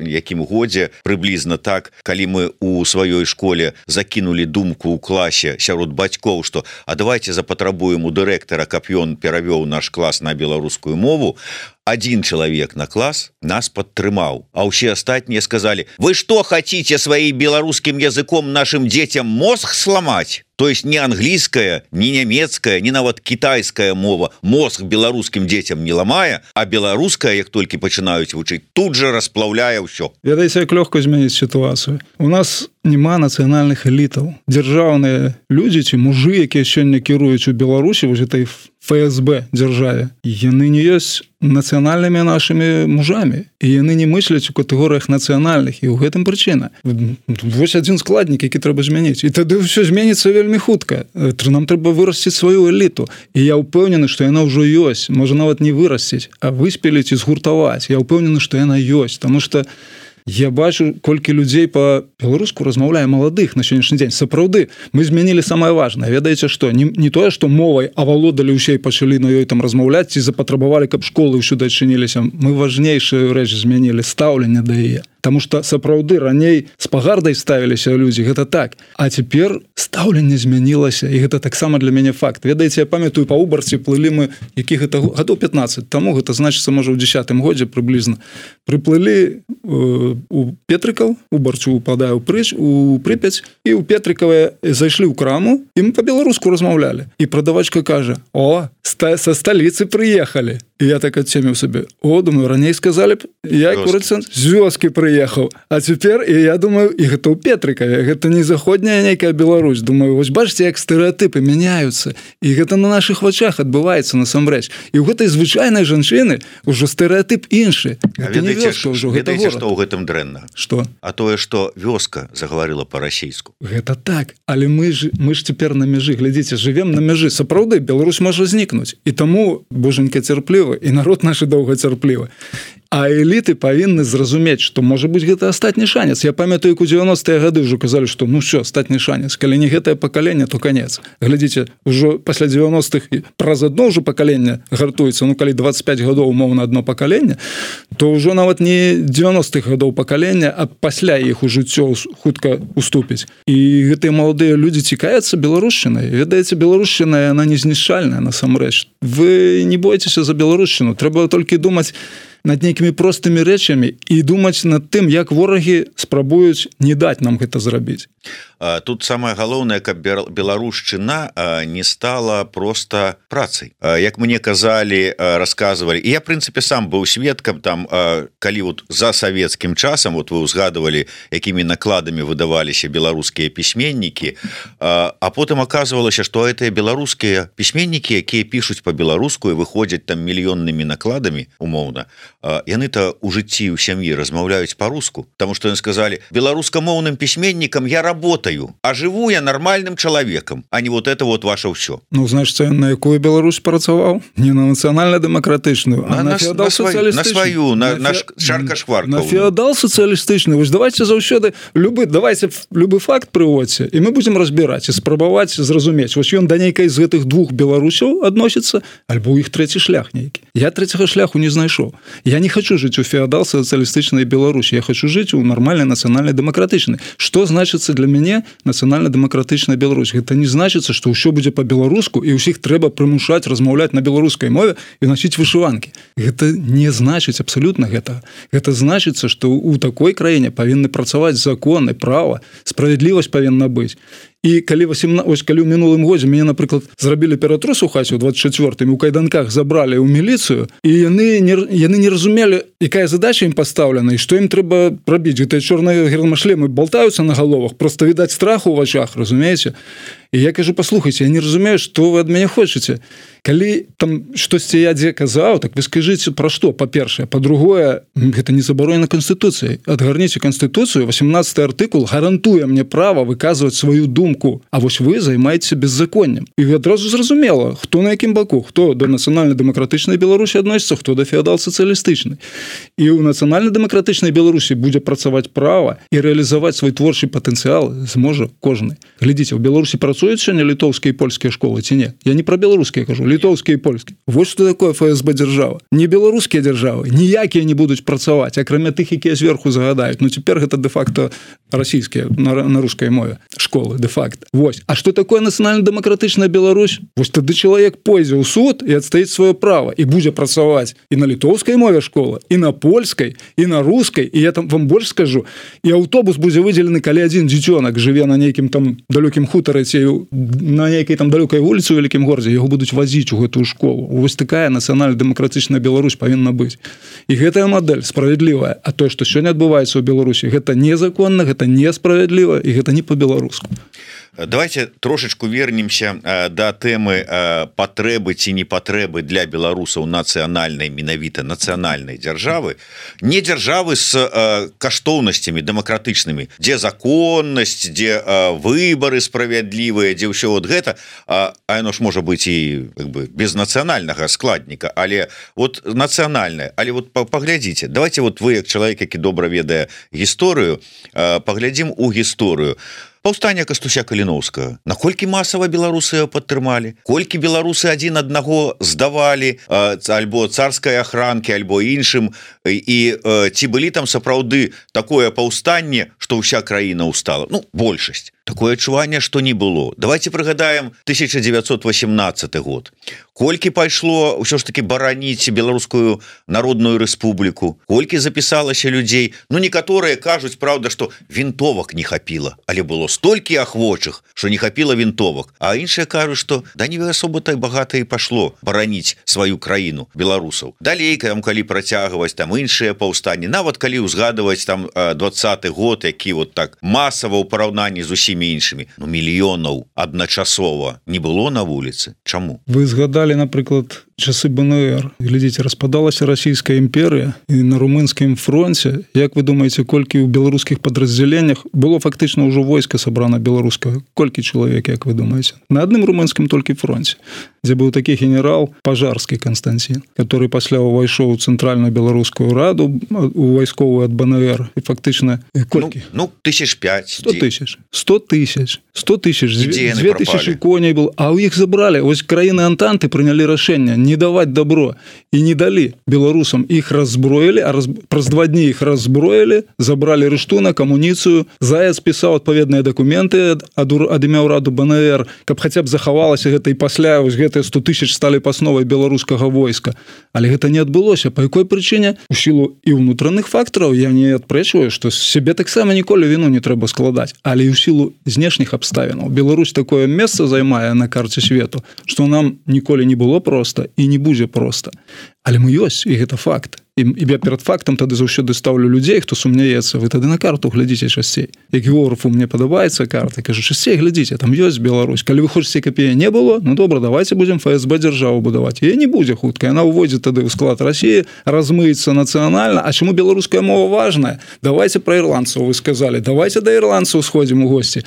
якім годзе прыблізна так, калі мы у сваёй школе закінулі думку ў класе сярод бацькоў, што а давайте запатрабуем у дырэктара, каб ён перавёў наш клас на беларускую мову, один человек на класс нас подтрымаў, а ўсе астатнія сказали: вы что хотите своим белорусским языком нашим детям мозг сломать? То есть не английская, не немецкая, не нават китайская мова мозг беларускім детям не ламае, а беларуская, як толькі пачынаюць вучыць, тут же расплаўляе ўсё. Ведаеце, як лёгка змяніць сітуацыю. У нас няма нацыянальных элітаў. Дзяржаўныя людзі ці мужы, якія сёння кіруюць у Беларусі, вось этой ФСБ дзяржаве, яны не ёсць нацыянальнымі нашымі мужамі, і яны не мысляць у катэгорыях нацыянальных, і ў гэтым прычына. Вось адзін складнік, які трэба змяніць. І тады ўсё зменіцца вельмі хутка. Нам трэба вырасціць сваю эліту. І я ўпэўнены, што яна ўжо ёсць. Можа нават не вырасціць, а выспеліць і згуртаваць. Я ўпэўнены, што яна ёсць, таму што я бачу, колькі людзей па-беларуску размаўляе маладых на сённяшні дзень. Сапраўды, мы змянілі самае важнае. Ведаеце што? Не тое, што мовай авалодалі ўсе і пачалі на ёй там размаўляць ці запатрабавалі, каб школы ўсюды адчыніліся. Мы важнейшую рэч змянілі — стаўленне да яе. Таму што сапраўды раней з пагардай ставіліся людзі, гэта так. А цяпер стаўленне змянілася, і гэта таксама для мяне факт. Ведаеце, я памятаю, па Убарці плылі мы, які гэта гадоў 15 таму, гэта значыцца, можа, у 10-м годзе прыблізна. Прыплылі у Петрыкаў, Убарцу упадае у Прыпяць, і ў Петрыкаве зайшлі ў краму, і мы па-беларуску размаўлялі. І прадавачка кажа: о, са сталіцы прыехалі. І я так адцеміў сабе: о, думаю, раней сказалі б, я курыцца з вёскі прыехаў. А цяпер, і я думаю, і гэта ў Петрыкаве, гэта не заходняя нейкая Беларусь. Думаю, вось бачыце, як стэрэатыпы мяняюцца. І гэта на нашых вачах адбываецца насамрэч. І ў гэтай звычайнай жанчыны ўжо стэрэатып іншы. Гэта не вёска ўжо, гэта горад. Што ў гэтым дрэнна? Што? А тое, што вёска загаварыла па-расейску. Гэта так. Але мы ж цяпер на мяжы. Глядзіце, жывем на мяжы. Сапраўды, Беларусь можа знікнуць. І таму, божанька, цярплівы, і народ наш доўгацярплівы. А эліты павінны зразумець, што можа быць гэта астатні шанец. Я памятаю, як у 90-е гады ўжо казалі, што ну ўсё, астатні шанец. Калі не гэтае пакаленне, то канец. Глядзіце, ўжо пасля 90-х праз адно ўжо пакаленне гартуецца. Ну, калі 25 гадоў умоўна адно пакаленне, то ўжо нават не 90-х гадоў пакалення, а пасля іх у жыццё хутка уступіць. І гэтыя маладыя людзі цікавяцца беларушчынай. Ведаеце, беларушчына, яна незнішчальная насамрэч. Вы не бойцеся за беларушчыну. Трэба толькі думаць над нейкімі простымі рэчамі і думаць над тым, як ворагі спрабуюць не даць нам гэта зрабіць. Тут самае галоўнае, каб беларушчына не стала проста працай. Як мне казалі, расказвалі, і я, в прынцыпе, сам быў сведкам там, калі вот за савецкім часам, вот вы ўзгадывалі, якімі накладамі выдаваліся беларускія пісьменнікі, а потым аказвалася, што гэтыя беларускія пісьменнікі, якія пішуць па-беларуску і выходзяць там мільённымі накладамі, умоўна, яны-то ў жыцці ў сям'і размаўляюць па-руску, таму што яны сказалі: беларускамоўным пісьменнікам я работаю, а жыву я нормальным чалавекам, а не вот это вот ваше ўсё. Ну, значит, на якую Беларусь працаваў? Не на нацыянальна-дэмакратычную, а на феадал-сацыялістычную. На сваю, на шарка-шкварка. На феадал-сацыялістычную. Вось давайте заўсёды давайте любы факт прыводзьце, і мы будзем разбіраць і спрабаваць зразумець. Вось ён да нейкай з гэтых двух беларусяў адносіцца, альбо ў іх трэці шлях нейкі. Я трэцяга шляху не знайшоў. Я не хочу жыць у феадал-сацыялістычнай Беларусі, я хочу жыць у нармальнай нацыянальна-дэмакратычнай. Што значыцца для мяне нацыянальна-дэмакратычная Беларусь? Гэта не значыцца, што ўсё будзе па-беларуску і ўсіх трэба прымушаць размаўляць на беларускай мове і насіць вышыванкі. Гэта не значыць абсалютна гэтага. Гэта значыцца, што ў такой краіне павінны працаваць законы, права, справядлівасць павінна быць. І калі ў мінулым годзе мяне, напрыклад, зрабілі ператрус у хаце ў 24-м, у кайданках забралі ў міліцыю, і яны не разумелі, якая задача ім пастаўлена і што ім трэба рабіць. Гэтыя чорныя гермашлемы болтаюцца на галовах, проста відаць страху ў вачах, разумееце? і я кажу, паслухайце, я не разумею, што вы ад мяне хочаце. Калі там штосьці я дзе казаў, так вы скажыце пра што, па-першае, па-другое, гэта не забаронена Канстытуцыяй. Адгарніце Канстытуцыю, 18 артыкул гарантуе мне права выказваць сваю думку, а вось вы займаецеся беззаконнем. І адразу зразумела, хто на якім баку, хто да нацыянальна-дэмакратычнай Беларусі адносіцца, хто да феадал-сацыялістычнай. І ў нацыянальна-дэмакратычнай Беларусі будзе працаваць права і рэалізаваць свой творчы патэнцыял зможа кожны. Глядзіце, у Беларусі працуюць сёння літоўскія і польскія школы ці не? Я не пра беларускія кажу, літоўскія і польскія. Вось што такое ФСБ дзяржава. Не беларускія дзяржавы, ніякія не будуць працаваць, акрамя тых, якія зверху загадаюць. Ну цяпер гэта дэ-факта расійскія на рускай мове школы дэ-факта. Вось. А што такое нацыянальна-дэмакратычная Беларусь? Вось тады чалавек пойдзе ў суд і адстаіць сваё права і будзе працаваць і на літоўскай мове школы, і на польскай, і на рускай, і я там вам больш скажу, і аўтобус будзе выдзелены, калі адзін дзіцёнак жыве на нейкім там далёкім хутары ці на нейкай там далёкай вуліцы ў вялікім горадзе, яго будуць вазіць у гэтую школу. Вось такая нацыянальна-дэмакратычная Беларусь павінна быць. І гэтая мадэль справядлівая, а тое, што сёння адбываецца ў Беларусі, гэта незаконна, гэта несправядліва і гэта не па-беларуску. Давайте трошечку вернемся да тэмы патрэбы ці не патрэбы для беларусаў нацыянальнай, менавіта нацыянальнай дзяржавы, не дзяржавы з каштоўнасцямі дэмакратычнымі, дзе законнасць, дзе выбары справядлівыя, дзе ўсё вот гэта, а яно ж можа быць і без нацыянальнага складніка, але вот нацыянальнае. Але вот паглядзіце, давайте вот вы, як чалавек, які добра ведае гісторыю, паглядзім у гісторыю. Паўстанне Кастуся Каліноўскага. Наколькі масава беларусы падтрымалі? Колькі беларусы адзін аднаго здавалі альбо царскай ахранкі, альбо іншым, і ці былі там сапраўды такое паўстанне, што ўся краіна ўстала? Ну, большасць. Такое адчуванне, што не было. Давайте прыгадаем 1918 год. Колькі пайшло ўсё ж таки бараніць беларускую народную рэспубліку? Колькі запісалася людзей? Ну, некаторыя кажуць, праўда, што вінтовак не хапіла, але было столькі ахвочых, што не хапіла вінтовак. А іншыя кажуць, што да не асоба так багата і пашло бараніць сваю краіну беларусаў. Далей, калі працягваць там іншыя паўстанні, нават калі ўзгадваць там 20-й год, які вот так масава ў параўнанні з усімі іншымі, ну, мільёнаў адначасова не было на вуліцы. Чаму? Вы згадалі, напрыклад, часы БНР. Глядзіце, распадалася расійская імперыя, і на румынскім фронце, як вы думаеце, колькі ў беларускіх падраздзяленнях было фактычна ўжо войска сабрана беларускага? Колькі чалавек, як вы думаеце? На адным румынскім толькі фронце, дзе быў такі генерал Пажарскі Константин, который пасля ўвайшоў у цэнтральную беларускую раду, у вайсковую ад БНР, і фактычна колькі? Ну, 1005. 100 тысяч. 2000 коней был, а ў іх забралі. Ось краіны Антанты прынялі рашэнне не даваць добро і не далі беларусам. Іх раззброілі, а праз 2 дні іх раззброілі, забралі рыштунак, амуніцыю. Заяц пісаў адпаведныя дакументы ад імя ўраду БНР, каб хаця б захавалася гэта, і пасля ось гэтыя 100 тысяч сталі пасновай беларускага войска. Але гэта не адбылося. Па якой прычыне? У сілу і ўнутраных фактараў. Я не адпрэчваю, што сябе таксама ніколі віну не трэба складаць, але і ў сілу знешніх абставінаў. Беларусь такое месца займае на карце свету, што нам ніколі не было проста і не будзе проста. Але мы ёсць, і гэта факт. І я перад фактам тады заўсёды ставлю людзей, хто сумняецца. Вы тады на карту глядзіце часцей. Як географу мне падабаецца карта, кажу, часцей глядзіце, там ёсць Беларусь. Калі вы хочаце, каб яе не было, ну добра, давайте будзем ФСБ дзяржаву будаваць. Яе не будзе хутка, яна ўвойдзе тады ў склад Расіі, размыецца нацыянальна. А чаму беларуская мова важная? Давайте пра ірландцаў вы сказалі. Давайте да ірландцаў сходзім у госці.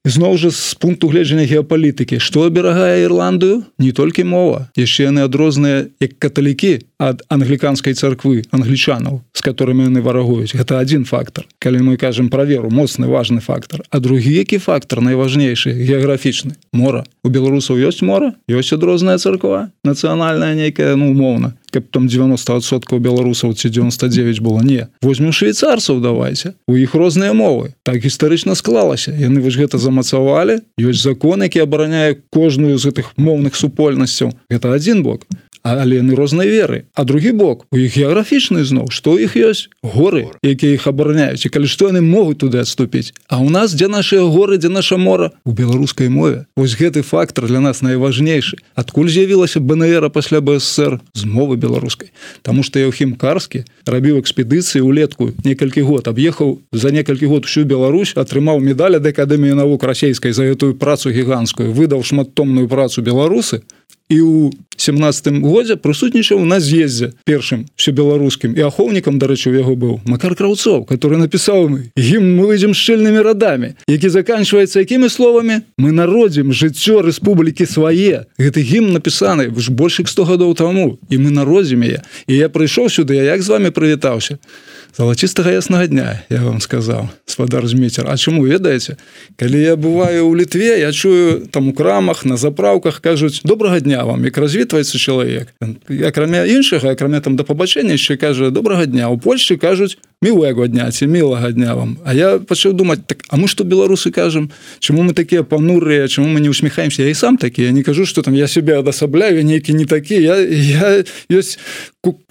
Зноў жа з пункту гледжання геапалітыкі, што аберагае Ірландыю? Не толькі мова. Яшчэ яны адрозныя як каталікі ад англіканскай царквы, англічанаў, з которымі яны варагуюць. Гэта адзін фактар. Калі мы кажам пра веру, моцны, важны фактар. А другі які фактар, найважнейшы, геаграфічны? Мора. У беларусаў ёсць мора? Ёсць адрозная царква? Нацыянальная нейкая, ну, умоўна. Каб там 90% беларусаў ці 99 было. Не. Возьмем швейцарцаў давайте. У іх розныя мовы. Так гістарычна склалася. Яны вось гэта замацавалі. Ёсць закон, які абараняе кожную з гэтых моўных супольнасцяў. Гэта адзін бок. але яны рознай веры. А другі бок, у іх геаграфічны зноў, што ў іх ёсць? Горы, якія іх абараняюць. І калі што, яны могуць туды адступіць. А ў нас, дзе нашыя горы, дзе наша мора? У беларускай мове. Вось гэты фактор для нас найважнейшы. Адкуль з'явілася БНР пасля БССР? З мовы беларускай. Таму што Еўхім Карскі рабіў экспедыцыі ўлетку некалькі год, аб'ехаў за некалькі год всю Беларусь, атрымаў медаль ад Акадэміі навук расійскай за гэтую працу гіганцкую, выдаў шматтомную працу беларусы, і ў 17 годзе прысутнічаў на з'ездзе першым всебеларускім, і ахоўнікам, дарэчы, у яго быў Макар Краўцоў, который напісаў гімн «Мы выйдзем шчыльнымі радамі», які заканчваецца якімі словамі? «Мы народзім жыццё рэспублікі свае». Гэты гімн напісаны больш 100 гадоў таму, і мы народзім яе. І я прыйшоў сюды, я як з вами прывітаўся? Залацістага яснага дня, я вам сказаў, спадар Зміцер. А чаму, ведаеце? Калі я бываю ў Літве, я чую там у крамах, на заправках кажуць «Добрага дня вам», як развітваецца чалавек. Акрамя іншага, акрамя там да пабачэння, яшчэ кажа «Добрага дня». У Польшчы кажуць «Мілага дня» ці «Мілага дня вам». А я пачаў думаць, так, а мы што беларусы кажам? Чаму мы такія панурыя, чаму мы не усміхаемся? Я і сам такі, я не кажу, што там я себе адасабляю, я нейкі не такі, я ёсць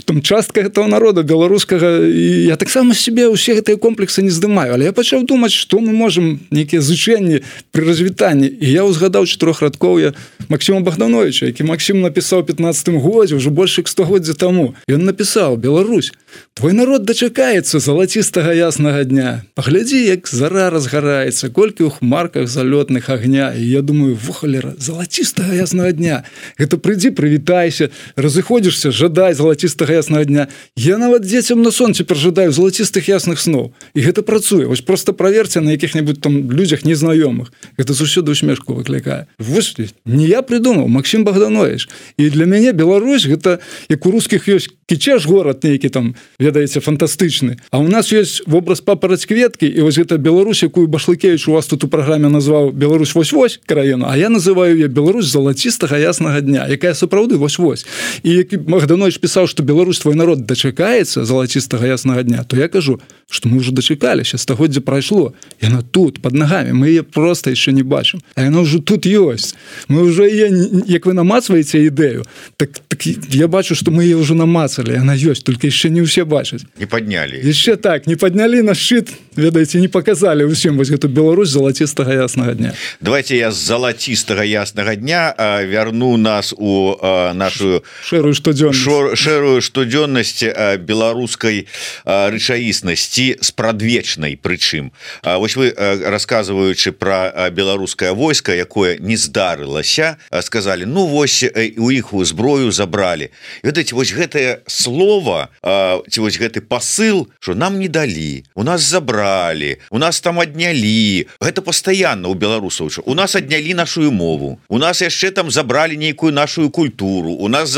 там частка гэтага народа беларускага, і я таксама себе ўсе гэтыя комплексы не здымаю, але я пачаў думаць, што мы можам нейкія зычэнні пры развітанні, і я ўзгадаў 4-радкоўя Максіма Богдановича, які Максім напісаў у 15 годзе, ўжо больш 100 годзе таму. Ён напісаў: «Беларусь, твой народ дачакаецца залацістага яснага дня. Паглядзі, як зара разгараецца, колькі ў хмарках залётных агня». І я думаю, вухалера, залацістага яснага дня. Гэта прыйдзі, прывітайся, разыходзішся, жадай залацістага яснага дня. Я нават дзецям на сон цяпер жадаю залацістых ясных сноў. І гэта працуе. Вось проста праверце на якіх-небудзь там людзях незнаёмых. Гэта заўсёды усмешку выклікае. Вось не я придумаў, Максім Богданович. І для мяне Беларусь гэта, як у рускіх ёсць Кічэш горад нейкі там, ведаеце, фантастычны. А у нас ёсць вобраз папараць кветкі, і вось гэта Беларусь, якую Башлыкевіч у вас тут у праграме назваў Беларусь вось-вось краіну, а я называю яе Беларусь залацістага яснага дня, якая сапраўды вось-вось. І які Богданович пісаў, што Беларусь, твой народ дачакаецца залацістага яснага дня, то я кажу, што мы ўжо дачакаліся, стагоддзе прайшло. Яна тут, пад нагамі, мы яе проста яшчэ не бачым. А яна ўжо тут ёсць. Мы ўжо яе, як вы намацваеце ідэю, так я бачу, што мы яе ўжо намацалі, яна ёсць, толькі яшчэ не ўсе бачаць. Не паднялі. Яшчэ так, не паднялі на шчыт, ведаеце, не паказалі ўсім вось гэту Беларусь залацістага яснага дня. Давайте я з залацістага яснага дня вярну нас у нашу шэрую штодзённасць беларускай рэчаіснасці з прадвечнай прычым. Вось вы, расказваючы пра беларускае войска, якое не здарылася, сказалі, ну вось у іх зброю забралі. Ведаеце, вось гэтае слово, ці вось гэты пасыл, што нам не далі, у нас забралі, у нас там аднялі. Гэта пастаянна ў беларусаў. У нас аднялі нашу мову, у нас яшчэ там забралі нейкую нашу культуру, у нас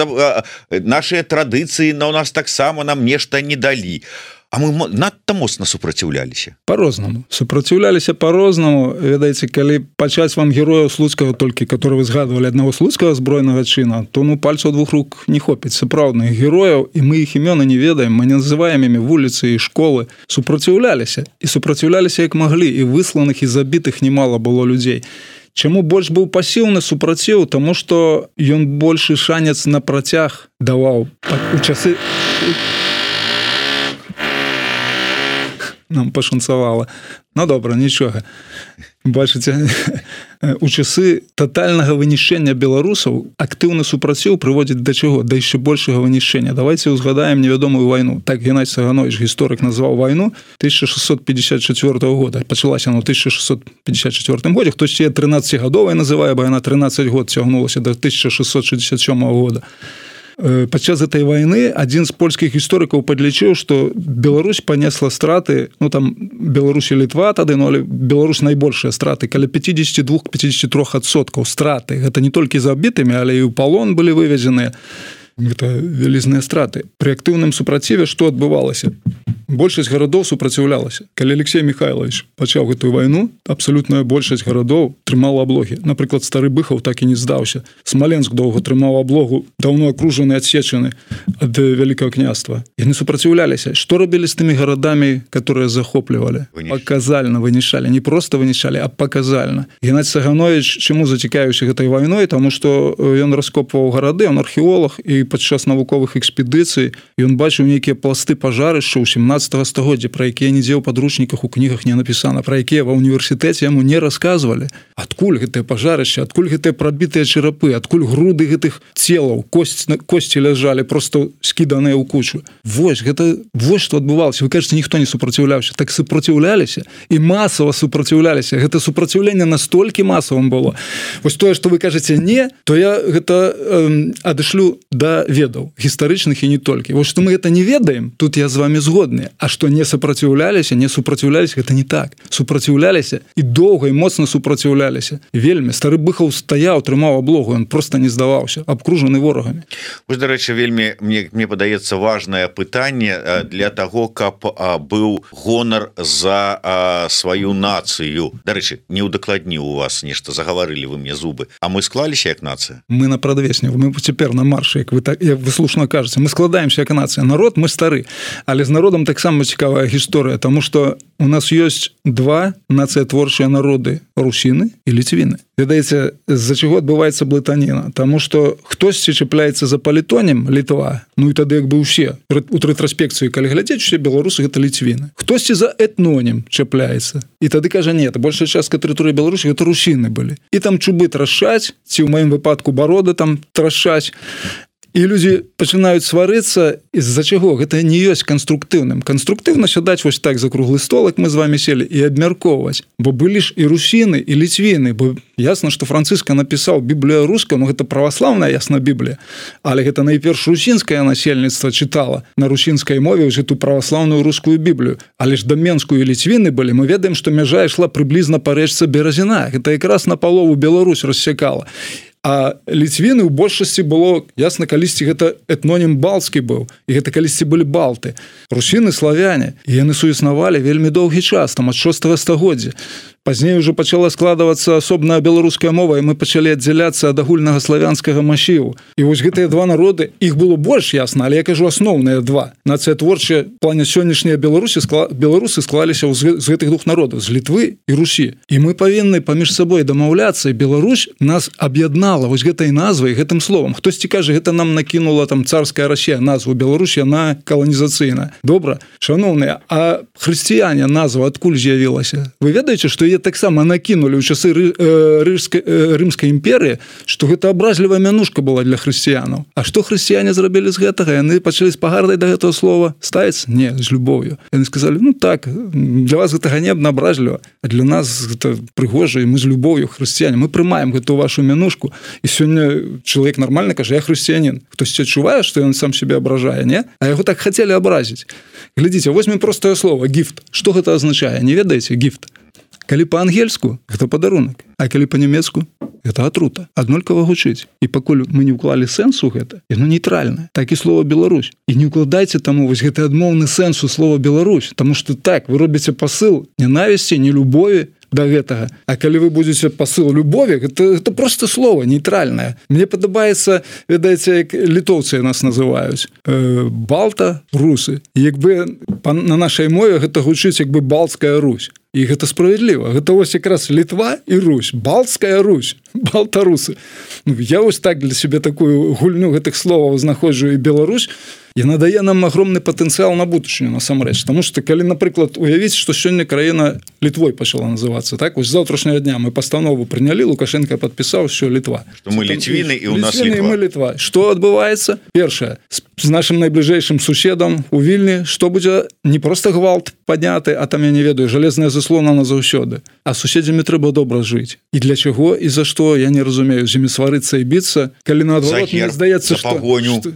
нашыя традыцыі, у нас таксама нам нешта не далі. А мы надта моцна супраціўляліся. По-рознаму. Супраціўляліся по-рознаму. Ведаеце, калі пачаць вам герояў слуцкага толькі, которые вы згадвалі, аднаго слуцкага збройнага чына, то пальцаў двух рук не хопіць сапраўдных герояў, і мы іх імёны не ведаем, мы не называем імі вуліцы і школы. Супраціўляліся. І супраціўляліся як маглі, і высланых, і забітых немало было людзей. Чаму больш быў пасіўны супраціў? Таму што ён большы шанец на працяг даваў у часы... Нам пашанцавала. Ну, добра, нічога. Бачыце, у часы татальнага вынішчэння беларусаў актыўны супраціў прыводзіць да чаго? Да яшчэ большага вынішчэння. Давайте ўзгадаем невядомую вайну. Так Геннадзь Саганович, гісторык, назваў вайну 1654 года. Пачалася она ў 1654 годзе. Хтосьці 13-гадовай называе, бо яна 13 год цягнулася до 1667 года. Падчас этой войны адзін з польскіх гісторыкаў падлічыў, што Беларусь панесла страты, ну там Беларусь і Літва тады, але Беларусь найбольшыя страты, каля 52-53% страты. Гэта не толькі забітымі, але і ў палон былі вывезеныя. Гэта вялізныя страты. Пры актыўным супраціве што адбывалася? большасць гарадоў супраціўлялася. Калі Алексей Михайлович пачаў гэтую вайну, абсалютная большасць гарадоў трымала аблогі. Напрыклад, Стары Быхаў так і не здаўся. Смаленск доўга трымаў аблогу, даўно акружаны, адсечаны ад Вялікага княства. Яны супраціўляліся. Што рабілі з тымі гарадамі, которые захоплівалі? Паказальна вынішалі. Не проста вынішалі, а паказальна. Геннадзь Саганович чаму зацікавіўся гэтай вайной? Таму што ён раскопваў гарады, ён археолог, і падчас навуковых экспедыцый ён бачыў нейкія пласты пажарышча ў 17 стагоддзя, пра якія нідзе ў падручніках, у кнігах не напісана, пра якія ва ўніверсітэце яму не расказвалі. Адкуль гэтае пажарышча, адкуль гэтыя прабітыя чарапы, адкуль груды гэтых целаў, косці ляжалі просто скіданыя ў кучу. Вось што адбывалася. Вы кажаце, ніхто не супраціўляўся. Так супраціўляліся і масава супраціўляліся. Гэта супраціўленне настолькі масавым было. Вось тое, што вы кажаце не, то я гэта адышлю да ведаў гістарычных і не толькі. Вось што мы гэта не ведаем, тут я з вами згодны. А што не супраціўляліся, гэта не так. Супраціўляліся і доўга і моцна супраціўляліся. Вельмі. Стары Быхаў стаяў, трымаў аблогу, ён проста не здаваўся, абкружаны ворагамі. Вось, дарэчы, вельмі, мне падаецца, важнае пытанне для таго, каб быў гонар за сваю нацыю. Дарэчы, не ўдакладніў у вас нешта, загаварылі вы мне зубы. А мы склаліся як нацыя? Мы на прадвесні, мы цяпер на маршы, як вы слушна кажаце. Мы складаемся як нацыя. Народ, мы стары. Але з народам таксама цікавая гісторыя, таму што у нас ёсць два нацыятворчыя народы – русіны і ліцвіны. Ведаеце, з-за чаго адбываецца блытаніна? Таму што хтосьці чапляецца за палітонем Літва, ну і тады як бы ўсе. У рэтраспекцыі, калі глядзець, усе беларусы – гэта ліцвіны. Хтосьці за этнонім чапляецца. І тады кажа, нет, большая частка тэрыторыі Беларусі – гэта русіны былі. І там чубы трашаць, ці ў маім выпадку бароды там трашаць. І людзі пачынаюць сварыцца, з-за чаго? Гэта не ёсць канструктыўным. Канструктыўна сядаць вось так за круглы стол, як мы з вами сели, і абмяркоўваць. Бо былі ж і русіны, і ліцвіны, бо ясна, што Францыска напісаў Біблію руская, ну гэта праваслаўная, ясна, Біблія, але гэта найперш русінскае насельніцтва чытала на русінскай мове ўжо ту праваслаўную рускую Біблію. Але ж да Менскую і ліцвіны былі, мы ведаем, што мяжа ішла прыблізна па рэчцы Беразіна. Гэта якраз напалову Беларусь рассякала. А ліцвіны ў большасці было, ясна, калісьці гэта этнонім балтскі быў, і гэта калісьці былі балты. Русіны, славяне, і яны суіснавалі вельмі доўгі час, там ад 6 стагоддзя. Пазней уже пачала складвацца асобная беларуская мова, і мы пачалі аддзяляцца ад агульнага славянскага масіву. І вось гэтыя два народы, іх было больш, ясна, але я кажу асноўныя два. Нацыятворчыя в плане сённяшнія беларусы склаліся з гэтых двух народаў, з Літвы і Русі. І мы павінны паміж сабой дамаўляцца, і Беларусь нас аб'яднала вось гэтай назвай, гэтым словам. Хтосьці кажа, гэта нам накінула там царская Расія назву Беларусь, яна каланізацыйная. Добра, шаноўныя, а хрысціяне назва адкуль з'явілася? Вы ведаеце, што яе таксама накінулі ў часы Рымскай імперыі, што гэта абразлівая мянушка была для хрысціянаў. А што хрысціяне зрабілі з гэтага? Яны пачалі з пагардай да гэтага слова ставіць? Не, з любоўю. Яны сказалі, ну так, для вас гэта ганебна, абразліва, а для нас гэта прыгожа, і мы з любоўю хрысціяне. Мы прымаем гэту вашу мянушку, і сёння чалавек нармальна кажа, я хрысціянін. Хтосьці адчувае, што ён сам сябе абражае, не? А яго так хацелі абразіць. Глядзіце, возьмем простае слово гіфт. Што гэта азначае? Не ведаеце? Гіфт. Калі па-ангельску, гэта падарунак, а калі па-нямецку, гэта атрута. Аднолькава гучыць. І пакуль мы не ўклалі сэнс у гэта, яно нейтральнае. Так і слова Беларусь. І не ўкладайце таму вось гэты адмоўны сэнс у слова Беларусь, таму што так, вы робіце пасыл нянавісці, нелюбові да гэтага. А калі вы будзеце пасыл любові, гэта проста слово нейтральнае. Мне падабаецца, ведаеце, як літоўцы нас называюць. Балта, русы. І як бы на нашай мове гэта гучыць як бы Балтская Русь. І гэта справядліва. Гэта вось якраз Літва і Русь. Балтская Русь. Балтарусы. Ну, я вось так для сябе такую гульню гэтых словаў знаходжу, і Беларусь, яна дае нам агромны патэнцыял на будучыню насамрэч. Таму што калі, напрыклад, уявіць, што сёння краіна Літвой пачала называцца, так? Вось з заўтрашняга дня мы пастанову прынялі, Лукашенко падпісаў, що Літва. Што мы ліцвіны і ў нас Літва. Мы Літва. Што адбываецца? Першае, з нашым найбліжэйшым суседам у Вільні, што будзе не проста гвалт падняты, а там, я не ведаю, жалезная заслона назаўсёды. А суседзямі трэба добра жыць. І для чаго і за што, я не разумею, з імі сварыцца і біцца, калі наадварот мне здаецца, што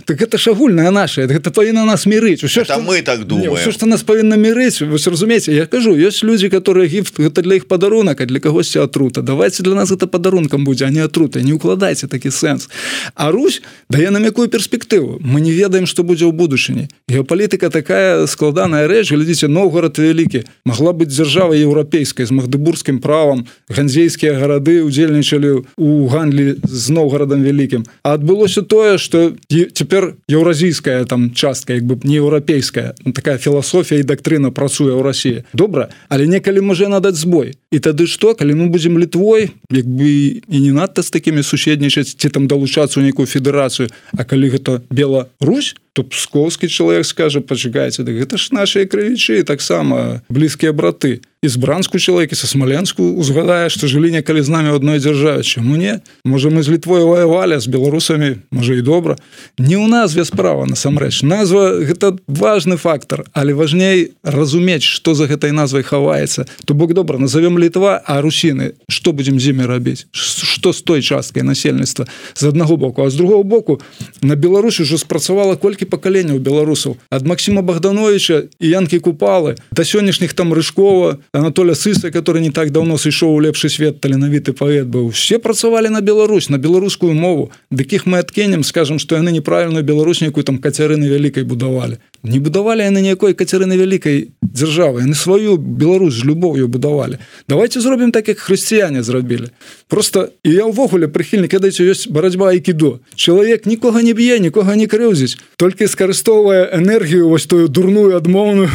так гэта ж агульная наша, гэта павінна нас мірыць. Усё, это мы так думаем. Усё, што нас павінна мірыць, вы разумееце, я кажу, ёсць людзі, которые гіфт, гэта для іх падарунак, а для кагосьці атрута. Давайце для нас гэта падарункам будзе, а не атрута. Не ўкладайце такі сэнс. А Русь дае нам якую перспектыву? Мы не ведаем ведаем, што будзе ў будучыні. Геапалітыка такая складаная рэч, глядзіце, Новгород вялікі, магла быць дзяржава еўрапейскай з магдыбургскім правам, ганзейскія гарады удзельнічалі ў гандлі з Новгарадам вялікім. А адбылося тое, што цяпер еўразійская там частка, як бы не еўрапейская, такая філасофія і дактрына працуе ў Расіі. Добра, але некалі можа надаць збой. І тады што, калі мы будзем Літвой, як бы і не надта з такімі суседнічаць, ці там далучацца ў нейкую федэрацыю, а калі гэта Беларусь, то псковскі чалавек скажа, пачакайце, так гэта ж нашыя крывічы, таксама блізкія браты. І з Бранску чалавек, і са Смаленску узгадае, што жылі некалі з намі ў адной дзяржаве. Чаму не? Можа, мы з Літвой ваявалі, з беларусамі, можа, і добра. Не ў назве справа, насамрэч. Назва – гэта важны фактор, але важней разумець, што за гэтай назвай хаваецца. То бок, добра, назовем Літва, а русіны, што будзем з імі рабіць? Што з той часткай насельніцтва? З аднаго боку. А з другого боку, на Беларусі ўжо спрацавала колькі пакаленняў беларусаў. Ад Максіма Богдановича і Янкі Купалы да сённяшніх там Рыжкова, Анатоля Сыса, который не так давно сышоў у лепшы свет, таленавіты паэт быў. Все працавалі на Беларусь, на беларускую мову. Дыкіх мы адкінем, скажам, што яны неправільную Беларусь нейкую там Кацярыны Вялікай будавалі. Не будавалі яны ніякой Кацярыны Вялікай дзяржавы. Яны сваю Беларусь з любоўю будавалі. Давайте зробім так, як хрысціяне зрабілі. Просто, і я ўвогуле прыхільнік, ведаеце, ёсць барацьба айкідо. Чалавек нікога не б'е, нікога не крыўдзіць, толькі скарыстоўвае энергію, вось тую дурную, адмоўную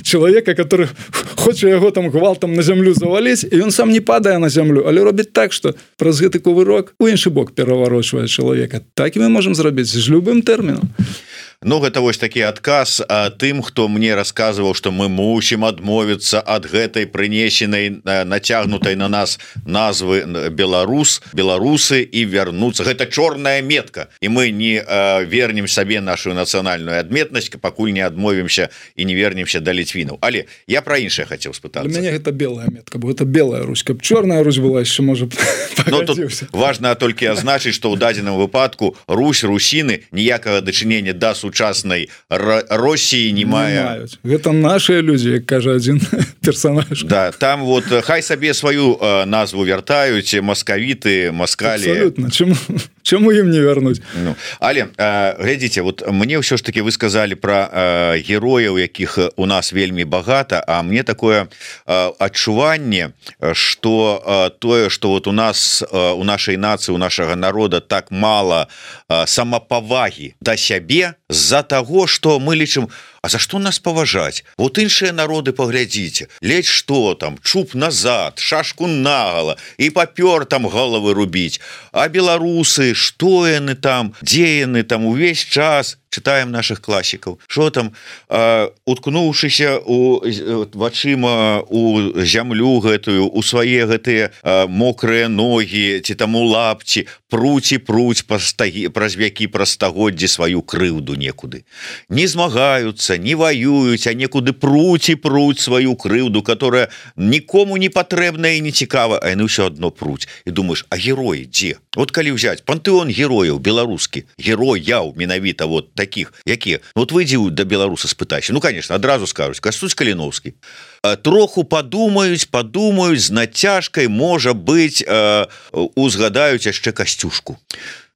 чалавека, который хоча яго там гвалтам на зямлю заваліць, і ён сам не падае на зямлю, але робіць так, што праз гэты кувырок у іншы бок пераварочвае чалавека. Так і мы можам зрабіць з любым тэрмінам. Ну, гэта вось такі адказ тым, хто мне расказваў, што мы мусім адмовіцца ад гэтай прынесенай, нацягнутай на нас назвы беларусы і вярнуцца. Гэта чорная метка, і мы не вернем сабе нашу нацыянальную адметнасць, пакуль не адмовімся і не вернемся да літвінаў. Але я пра іншае хацеў спытацца. Для мяне гэта белая метка, бо гэта белая Русь. Каб чорная Русь была, яшчэ можа пагадзіўся. Важна толькі азначыць, што ў дадзеным выпадку Русь, русіны ніякага дачынення да сучаснай Росіі не мае. Гэта нашыя людзі, як кажа адзін персонаж. Да, там вот хай сабе сваю назву вяртаюць маскавіты, маскалі. Абсолютно. Чаму ім не вярнуць? Ну, але глядзіце, вот мне ўсё ж таки вы сказалі пра герояў, якіх у нас вельмі багата, а мне такое адчуванне, што тое, што вот у нас, у нашай нацыі, у нашага народа так мала самапавагі да сябе з-за таго, што мы лічым, а за што нас паважаць? Вот іншыя народы паглядзіце, ледзь што там, чуб назад, шашку нагала і папёр там галавы рубіць. А беларусы, што яны там, дзе яны там увесь час? Читаем наших класікаў. Што там, уткнуўшыся вачыма у зямлю гэтую, у свае гэтыя мокрыя ногі, ці там у лапці, пруць праз вякі, праз стагоддзі сваю крыўду некуды. Не змагаюцца, не ваююць, а некуды пруць сваю крыўду, которая нікому не патрэбная і не цікава, а яны ўсё адно пруць. І думаеш, а героі дзе? Вот калі ўзяць пантэон герояў беларускі, герояў менавіта вот таких, якія, вот выйдзі да беларуса спытайся, ну, конечно, адразу скажуць, Кастусь Каліноўскі. Троху падумаюць, з нацяжкай, можа быць, узгадаюць яшчэ Касцюшку.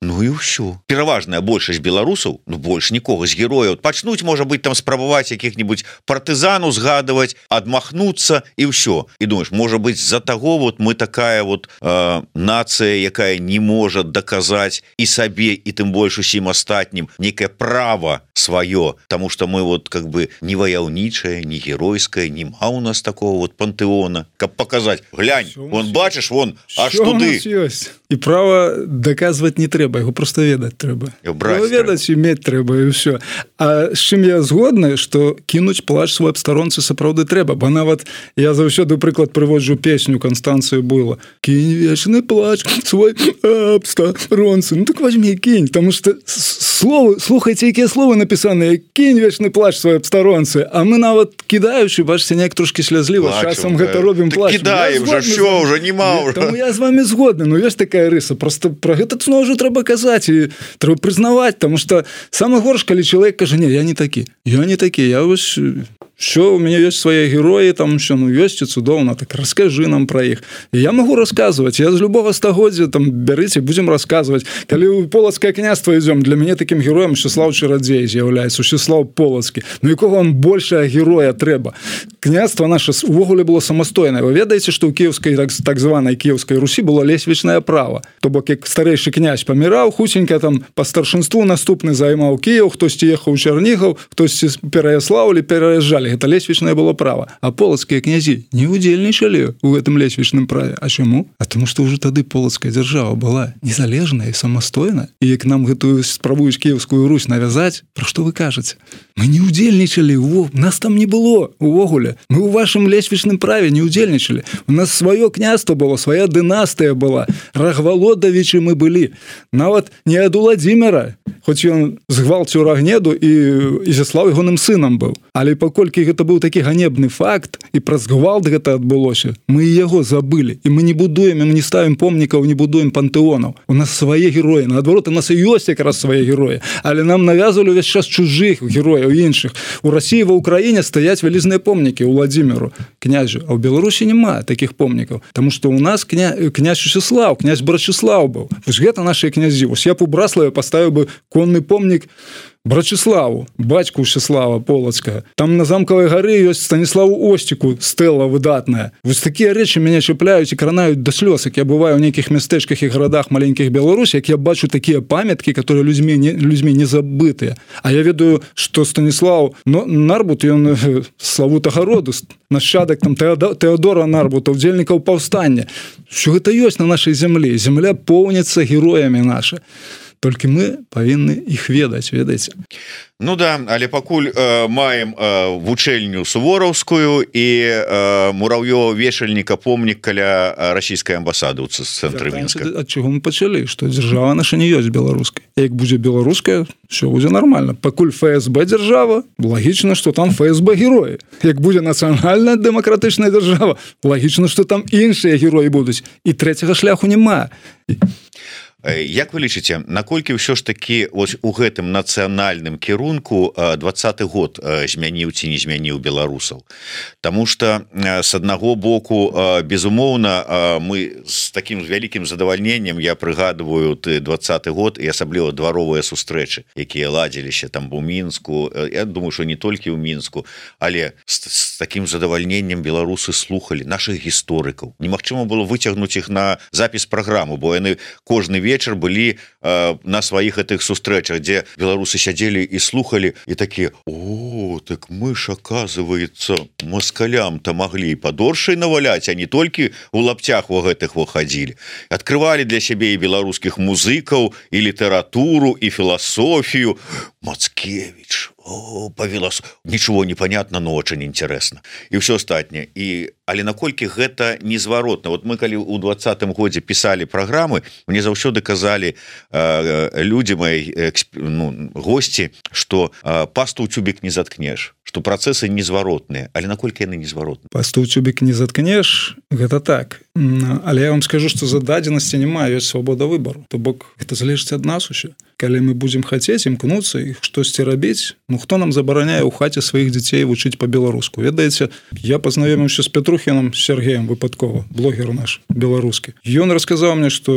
Ну і ўсё. Пераважная большасць беларусаў, ну больш нікога з герояў, пачнуць, можа быць, там спрабаваць якіх-небудзь партызан узгадваць, адмахнуцца і ўсё. І думаеш, можа быць, з-за таго вот мы такая вот нацыя, якая не можа даказаць і сабе, і тым больш усім астатнім некае права сваё, таму што мы вот как бы не ваяўнічае, не геройскае, нема у нас такого вот пантэона, каб паказаць, глянь, вон бачыш, вон аж туды. І права даказваць не трэба, яго просто ведаць трэба. Ведаць і мець трэба, і ўсё. А з чым я згодны, што кінуць плач свой абстаронцы сапраўды трэба, бо нават я заўсёды прыклад прыводжу песню Канстанцыі Буйла. Кінь вечны плач свой абстаронцы. Ну так возьми, кінь, таму што словы, слухайце, якія словы напісаныя, кінь вечны плач свой абстаронцы, а мы нават кідаючы, бачыце, неяк трошкі слязліва, часам гэта робім плач. Кідаем жа, ўсё, ўжо нема ўжо. Таму я з вами згодны, ну ёсць такая рыса, просто про гэта зноў ўжо трэба казаць і трэба прызнаваць, таму што самы горш, калі чалавек кажа, не, я не такі, я вось все, у меня есть свои герои, там еще, есть и цудоўна, так расскажи нам про их. И я могу рассказывать, я с любого стагоддзя там берите, будем рассказывать. Коли у Полацкае княства идем, для меня таким героем Мсціслаў Чарадзей з'яўляецца, Мсціслаў Полацкі. Ну якого вам большего героя трэба? Княство наше увогуле было самастойнае. Вы ведаеце, што ў кіеўскай так званай Кіеўскай Русі было лесвічнае права. То бок як старэйшы князь паміраў, хутенька там по старшынству наступны займаў Кіеў, хтосьці ехаў у Чарнігаў, хтосьці пераяслаўлі, пераязджалі. Гэта лесвічнае было права. А полацкія князі не удзельнічалі ў гэтым лесвічным праве. А чаму? А тому што ўжо тады полацкая дзяржава была незалежная і самастойная. І як нам гэтую спрабуюць Кіеўскую Русь навязаць, пра што вы кажаце? Мы не удзельнічалі, нас там не было увогуле. Мы ў вашым лесвічным праве не удзельнічалі. У нас сваё княства было, свая дынастыя была. Рагвалодавічы мы былі. Нават не ад Уладзіміра, хоць ён згвалціў Рагнеду і Ізяслаў ягоным сынам быў. Але паколькі гэта быў такі ганебны факт, і праз гвалт гэта адбылося, мы і яго забылі. І мы не будуем, мы не ставім помнікаў, не будуем пантэонаў. У нас свае героі. Наадварот, у нас і ёсць якраз свае героі. Але нам навязывалі ўвесь час чужых герояў іншых. У Расіі, ва Ўкраіне стаяць вялізныя помнікі Уладзіміру, князю. А ў Беларусі няма такіх помнікаў. Таму што ў нас князь Мсціслаў, князь Брачыслаў быў. Вось гэта нашыя князі. Вось я б у Браславе паставіў бы конны помнік Брачыславу, бацьку Мсціслава Полацкага. Там на замкавай гары ёсць Станіславу Осціку стэла выдатная. Вось такія рэчы мяне чапляюць і кранаюць да слёз, як я бываю ў нейкіх мястэчках і гарадах маленькіх Беларусі, як я бачу такія памяткі, которые людзьмі не забытыя. А я ведаю, што Станіслаў Нарбут, ён славутага роду, нашчадак там Тэадора Нарбута, удзельнікаў паўстання. Що гэта ёсць на нашай зямлі. Зямля поўніцца героямі наша. Толькі мы павінны іх ведаць, ведаеце. Ну да, але пакуль маем вучэльню сувораўскую і мурав'ёва-вешальніка помнік каля расійскай амбасады ў цэнтры Мінска. Ад чаго мы пачалі? Што дзяржава наша не ёсць беларускай. Як будзе беларуская, все будзе нормально. Пакуль ФСБ дзяржава, лагічна, што там ФСБ героі. Як будзе нацыянальная дэмакратычная дзяржава, лагічна, што там іншыя героі будуць. І трэцяга шляху няма. Як вы лічыце, наколькі ўсё ж такі у гэтым нацыянальным кірунку 20-й год змяніў ці не змяніў беларусаў? Таму што з аднаго боку, безумоўна, мы з такім вялікім задавальненнем, я прыгадываю 20-й год і асабліва дваровыя сустрэчы, якія ладзіліся там у Мінску, я думаю, што не толькі ў Мінску, але з такім задавальненнем беларусы слухалі нашых гісторыкаў. Немагчыма было выцягнуць іх на запіс праграму, бо яны кожны вечар былі на сваіх гэтых сустрэчах, дзе беларусы сядзелі і слухалі і такія: о, так мы ж, оказывается, москалям-то маглі падоршай наваляць, а не толькі у лапцях во гэтых хадзілі. Адкрывалі для сябе і беларускіх музыкаў, і літаратуру, і філасофію. Мацкевич, ничего не понятно, но очень интересно. И все остальное. Але наколькі гэта незваротна. Вот мы калі ў 20-м годзе пісалі праграмы, мне заўсёды казалі людзі мои, госці, што пасту ў цюбік не заткнеш, што працэсы незваротныя. Але наколькі яны незваротныя? Пасту ў цюбік не заткнеш, гэта так. Але я вам скажу, што за дадзенасці няма, ёсць свабода выбару. То бок гэта залежыць ад нас усё. Калі мы будзем хацець імкнуцца і штосьці рабіць, хто нам забараняе ў хаце сваіх дзяцей вучыць па-беларуску? Ведаеце, я пазнаёміўся з Петрухіным Сергеем выпадкова, блогер наш беларускі. Ён расказаў мне, што,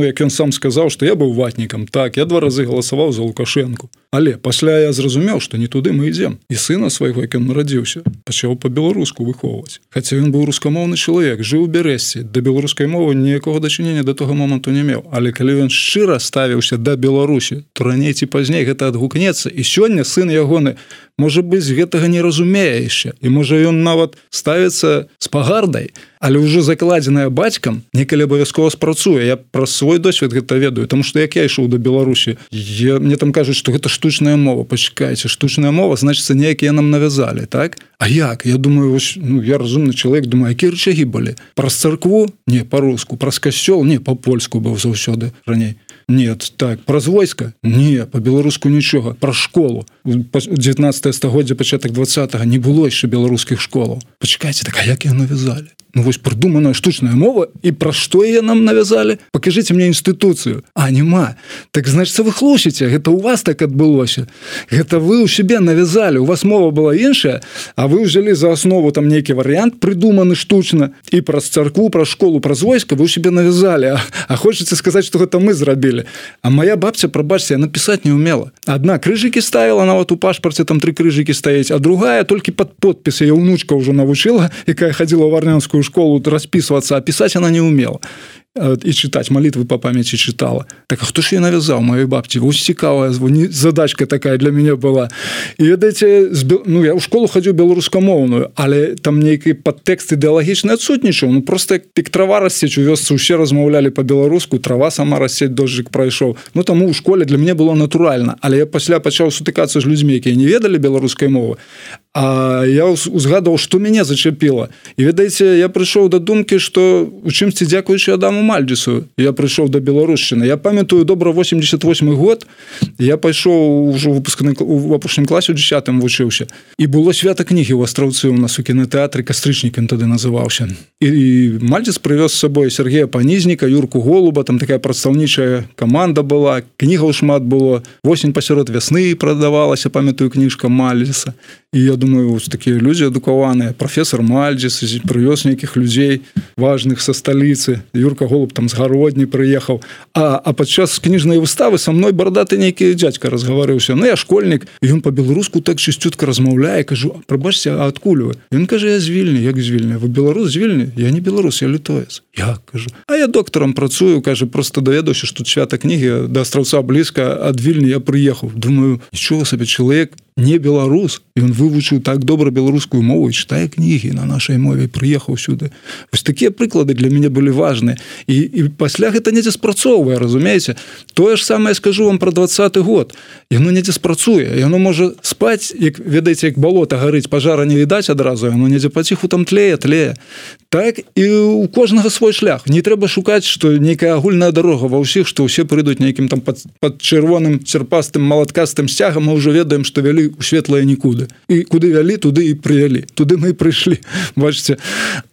як ён сам сказаў, што я быў ватнікам. Так, я 2 разы галасаваў за Лукашэнку. Але пасля я зразумеў, што не туды мы ідзем. І сына свайго, як ён нарадзіўся, пачаў па-беларуску выхоўваць. Хаця ён быў рускамоўны чалавек, жыў у Бярэсці, да беларускай мовы ніякога дачынення да того моманту не меў. Але калі ён шчыра ставіўся да Беларусі, то раней ці пазней гэта адгукнецца. І сёння сын ягоны, можа быць, гэтага не разумее яшчэ. І можа ён нават ставіцца з пагардай, але ўжо закладзеная бацькам некалі абавязкова спрацуе. Я праз свой досвед гэта ведаю, таму што як я ішоў да Беларусі, мне там кажуць, што гэта штучная мова. Пачакайце, штучная мова, значыцца, неякія нам навязалі, так? А як? Я думаю, я разумны чалавек, думаю, якія рычагі былі? Праз царкву? Не, па-руску. Праз касцёл? Не, па-польску быў заўсёды раней. Нет, так, праз войска? Не, по-беларуску нічога, пра школу. 19 стагоддзя, пачатак 20-го не было яшчэ беларускіх школаў. Пачакайце, так а як яго навязалі? Ну вось прыдуманая штучная мова, і пра што яе нам навязалі? Пакажыце мне інстытуцыю. А, няма. Так, значыцца, вы хлусіце, гэта у вас так адбылося. Гэта вы ў сябе навязалі, у вас мова была іншая, а вы ўзялі за аснову там нейкі варыянт, прыдуманы штучна, і праз царкву, праз школу, праз войска вы ў сябе навязалі. А хочаце сказаць, што гэта мы зрабілі. А моя бабця, прабачце, яна пісаць не умела. Адна крыжыкі ставіла, нават у пашпарце там 3 крыжыкі стаіць, а другая толькі пад подпіс. Яе ўнучка ўжо навучыла, якая хадзіла ў варнянскую школу распісвацца, а пісаць она не умела. І чытаць малітвы па памяці чытала. Так, а хто ж я навязаў маёй бабці? Вось цікавая задачка такая для мяне была. І ведаеце, ну я ў школу хадзіў беларускамоўную, але там нейкі падтэкст ідэалагічны адсутнічаў. Ну просто як трава рассець у вёсцы, усе размаўлялі па-беларуску, трава сама рассець, дожджык прайшоў. Ну таму ў школе для мяне было натуральна, але я пасля пачаў сутыкацца з людзьмі, якія не ведалі беларускай мовы. А я узгадаў, што мяне зачапіла. І ведаеце, я прыйшоў да думкі, што у чымсьці дзякуючы Адаму Мальдзісу я прыйшоў да беларушчыны. Я памятаю добра 88 год, я пайшоў ужо у апошнім класе, у 10-м вучыўся. І было свята кнігі ў Астраўцы у нас у кінотэатры, Кастрычнік ён тады называўся. І Мальдзіс прывёз з сабой Сергея Панізніка, Юрку Голуба, там такая прадстаўнічая каманда была, кнігаў шмат было, «Восень пасярод вясны» прадавалася, памятаю, кніжка Мальдзіса. І я думаю, такія людзі адукаваныя, прафесор Мальдзіс прывёз нейкіх людзей важных са сталіцы. Юрка Голуб там з Гародні прыехаў. А падчас кніжнай выставы са мной бардаты нейкі дзядзька разгаварыўся. Ну, я школьнік, і ён па-беларуску так чысцютка размаўляе, кажу, прабачце, а адкуль вы? Ён кажа, я з Вільні. Як з Вільні? Вы беларус з Вільні? Я не беларус, я літоец. Як, кажу. А я доктарам працую, кажа, просто даведаўся, што свята кнігі да Астраўца блізка, ад Вільні я прыехаў. Думаю, нічога сабе, чалавек не беларус, і ён вывучыў так добра беларускую мову і чытае кнігі на нашай мове, прыехаў сюды. Вось такія прыклады для мяне былі важныя. І пасля гэта недзе спрацоўвае, разумееце? Тое ж самае скажу вам пра 20-й год. Яно недзе спрацуе, яно можа спаць, як ведаеце, як балота гарыць, пажара не відаць адразу, яно недзе паціху там тлее. Так і у кожнага свой шлях. Не трэба шукаць, што нейкая агульная дарога ва ўсіх, што ўсе прыйдуць нейкім там пад чырвоным серпастым малаткастым сцягам, мы ўжо ведаем, што вялі у светлае нікуды. І куды вялі, туды і прывялі. Туды мы і прыйшлі, бачыце.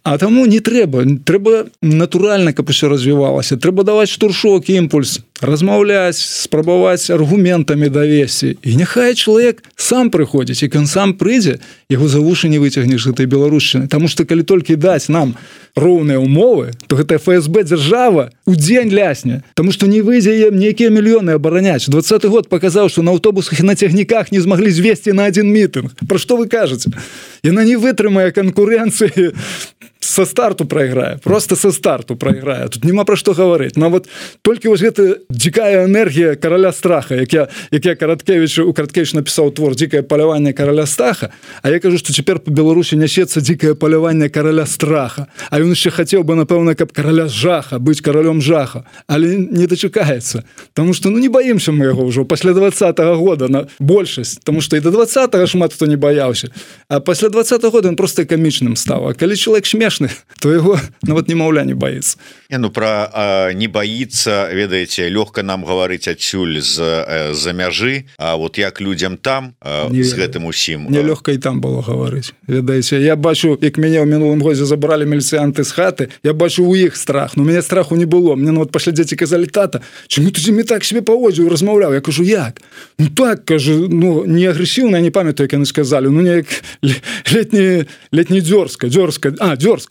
А таму не трэба. Трэба натуральна, каб усё развівалася. Трэба даваць штуршок, імпульс, размаўляць, спрабаваць аргументамі давесці. І няхай чалавек сам прыходзіць, і кан сам прыйдзе, яго за вушы не выцягнеш гэтай беларушчыны. Таму што калі толькі даць нам роўныя ўмовы, то гэта ФСБ дзяржава у дзень лясне. Таму што не выйдзе ім нейкія мільёны абараняць. 20-й год паказаў, што на аўтобусах і на цягніках не змаглі звесці на адзін мітынг. Пра што вы кажаце? Яна не вытрымае канкурэнцыі, со старту прайграе, просто со старту прайграе. Тут няма пра што гаварыць. Нават толькі вось гэта дзікая энергія караля страха, як я Караткевіч напісаў твор «Дзікае паляванне караля страха», а я кажу, што цяпер па Беларусі нясецца дзікае паляванне караля страха. А ён яшчэ хацеў бы, напэўна, каб караля жаха, быць каралём жаха, але не дачакаецца. Таму што не баімся мы яго ўжо пасля 20-го года на большасць, таму што і до 20-го шмат хто не баяўся. А пасля 20-го года ён проста камічным стаў. А калі чалавек смешны, то его нават немаўля не баіцца. Ну пра не баіцца, ведаеце, лёгка нам гаварыць адсюль з-за мяжы, а вот як людзям там з гэтым усім. Мне лёгка і там было гаварыць. Ведаеце, я бачу, як мяне ў мінулым годзе забралі міліцыянты з хаты, я бачу у іх страх, но у мяне страху не было. Мне нават пасля дзеці казалі: тата, чаму ты зімі так себе паводзіў, размаўляў? Я кажу: як? Ну так, кажу, ну не агрэсіўна, я не памятаю, як яны сказалі, ну неяк летні дзёрзка,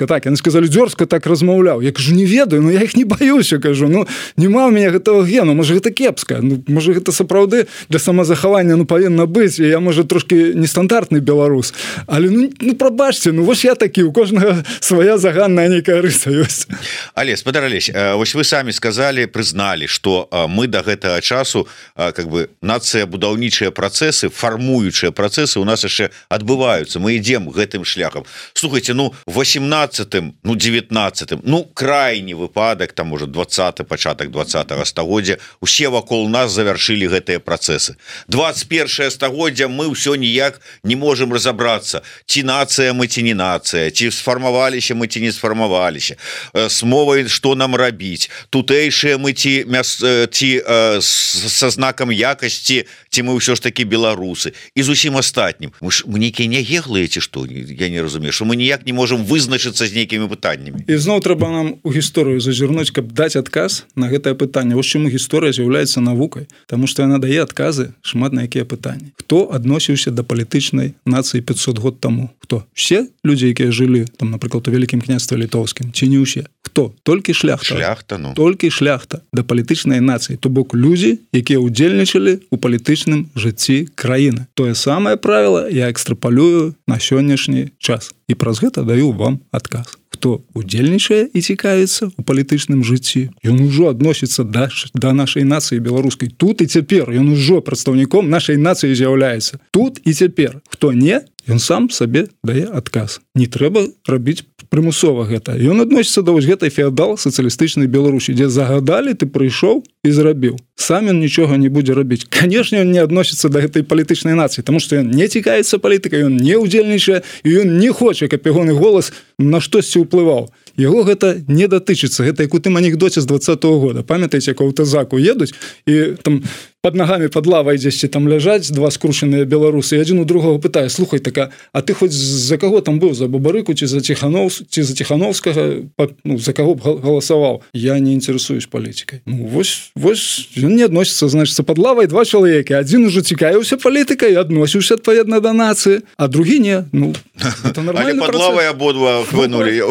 так, яны сказалі дзёрзка, так размаўляў. Я кажу: не ведаю, но я іх не баюся, кажу, ну нема ў мяне гэтага гену, можа гэта кепска, ну можа гэта сапраўды для самазахавання ну павінна быць, і я можа трошки нестандартны беларус, але ну прабачце, ну вось я такі, у кожнага свая заганная нейкая рыса ёсць. Але спадар Алесь, вось вы самі сказалі, прызналі, што мы да гэтага часу как бы нацыя будаўнічыя працэсы, фармуючыя працэсы у нас яшчэ адбываюцца, мы ідзем гэтым шляхам. Слухайте, ну 18 18 ну 19 ну крайні выпадак там уже 20 пачатак 20 стагоддзя усе вакол нас завяршылі гэтыя працэсы 21 стагоддзя мы ўсё ніяк не можем разобрацца ці нацыя мы ці не нацыя ці сфармаваліся мы ці не сфармаваліся с мовай что нам рабіць тутэйшыя мы ці са знакам якасці ці мы ўсё ж таки беларусы і зусім астатнім мы нейкія нягеглыя ці што я не разумею что мы ніяк не можем вызначыцца з нейкімі пытаннямі і зноў трэба нам у гісторыю зазірнуць каб даць адказ на гэтае пытанне вось чаму гісторыя з'яўляецца навукай тому что яна дае адказы шмат на якія пытанні хто адносіўся да палітычнай нацыі 500 год таму хто все людзі якія жылі там напрыклад у вялікім княстве літоўскім ці не ўсе хто толькі шляхта ну толькі шляхта да палітычнай нацыі то бок людзі якія ўдзельнічалі у палітычным жыцці краіны тое самае правіла я экстрапалюю на сённяшні час і праз гэта даю вам адказ хто удзельнічае і цікавіцца у палітычным жыцці ён ужо адносіцца да нашай нацыі беларускай тут і цяпер ён ужо прадстаўніком нашай нацыі з'яўляецца тут і цяпер хто не ён сам сабе дае адказ не трэба рабіць прымусова гэта ён адносіцца да вось гэтай феадал сацыялістычнай Беларусі дзе загадалі ты прыйшоў і зрабіў сам ён нічога не будзе рабіць канешне ён не адносіцца да гэтай палітычнай нацыі тому што ён не цікавіцца палітыкай ён не ўдзельнічае і ён не хоча каб ягоны голас на штосьці ўплываў яго гэта не датычыцца гэта як у тым анекдоце з 20-го года памятаеце як у аўтазаку едуць і там под ногами под лавой дзесьці там ляжаць два скрушаныя беларусы і адзін у другого пытае слухай така а ты хоць за каго там быў за Бабарыку ці за Ціхановскага ну за каго б галасаваў я не інтарэсуюсь палітыкай ну вось ён не адносіцца значыцца под лавой два чалавекі адзін ужо цікавіўся палітыкай адносіўся адпаведна да нацыі а другі не ну это нормальна под лавой абодва хвынулі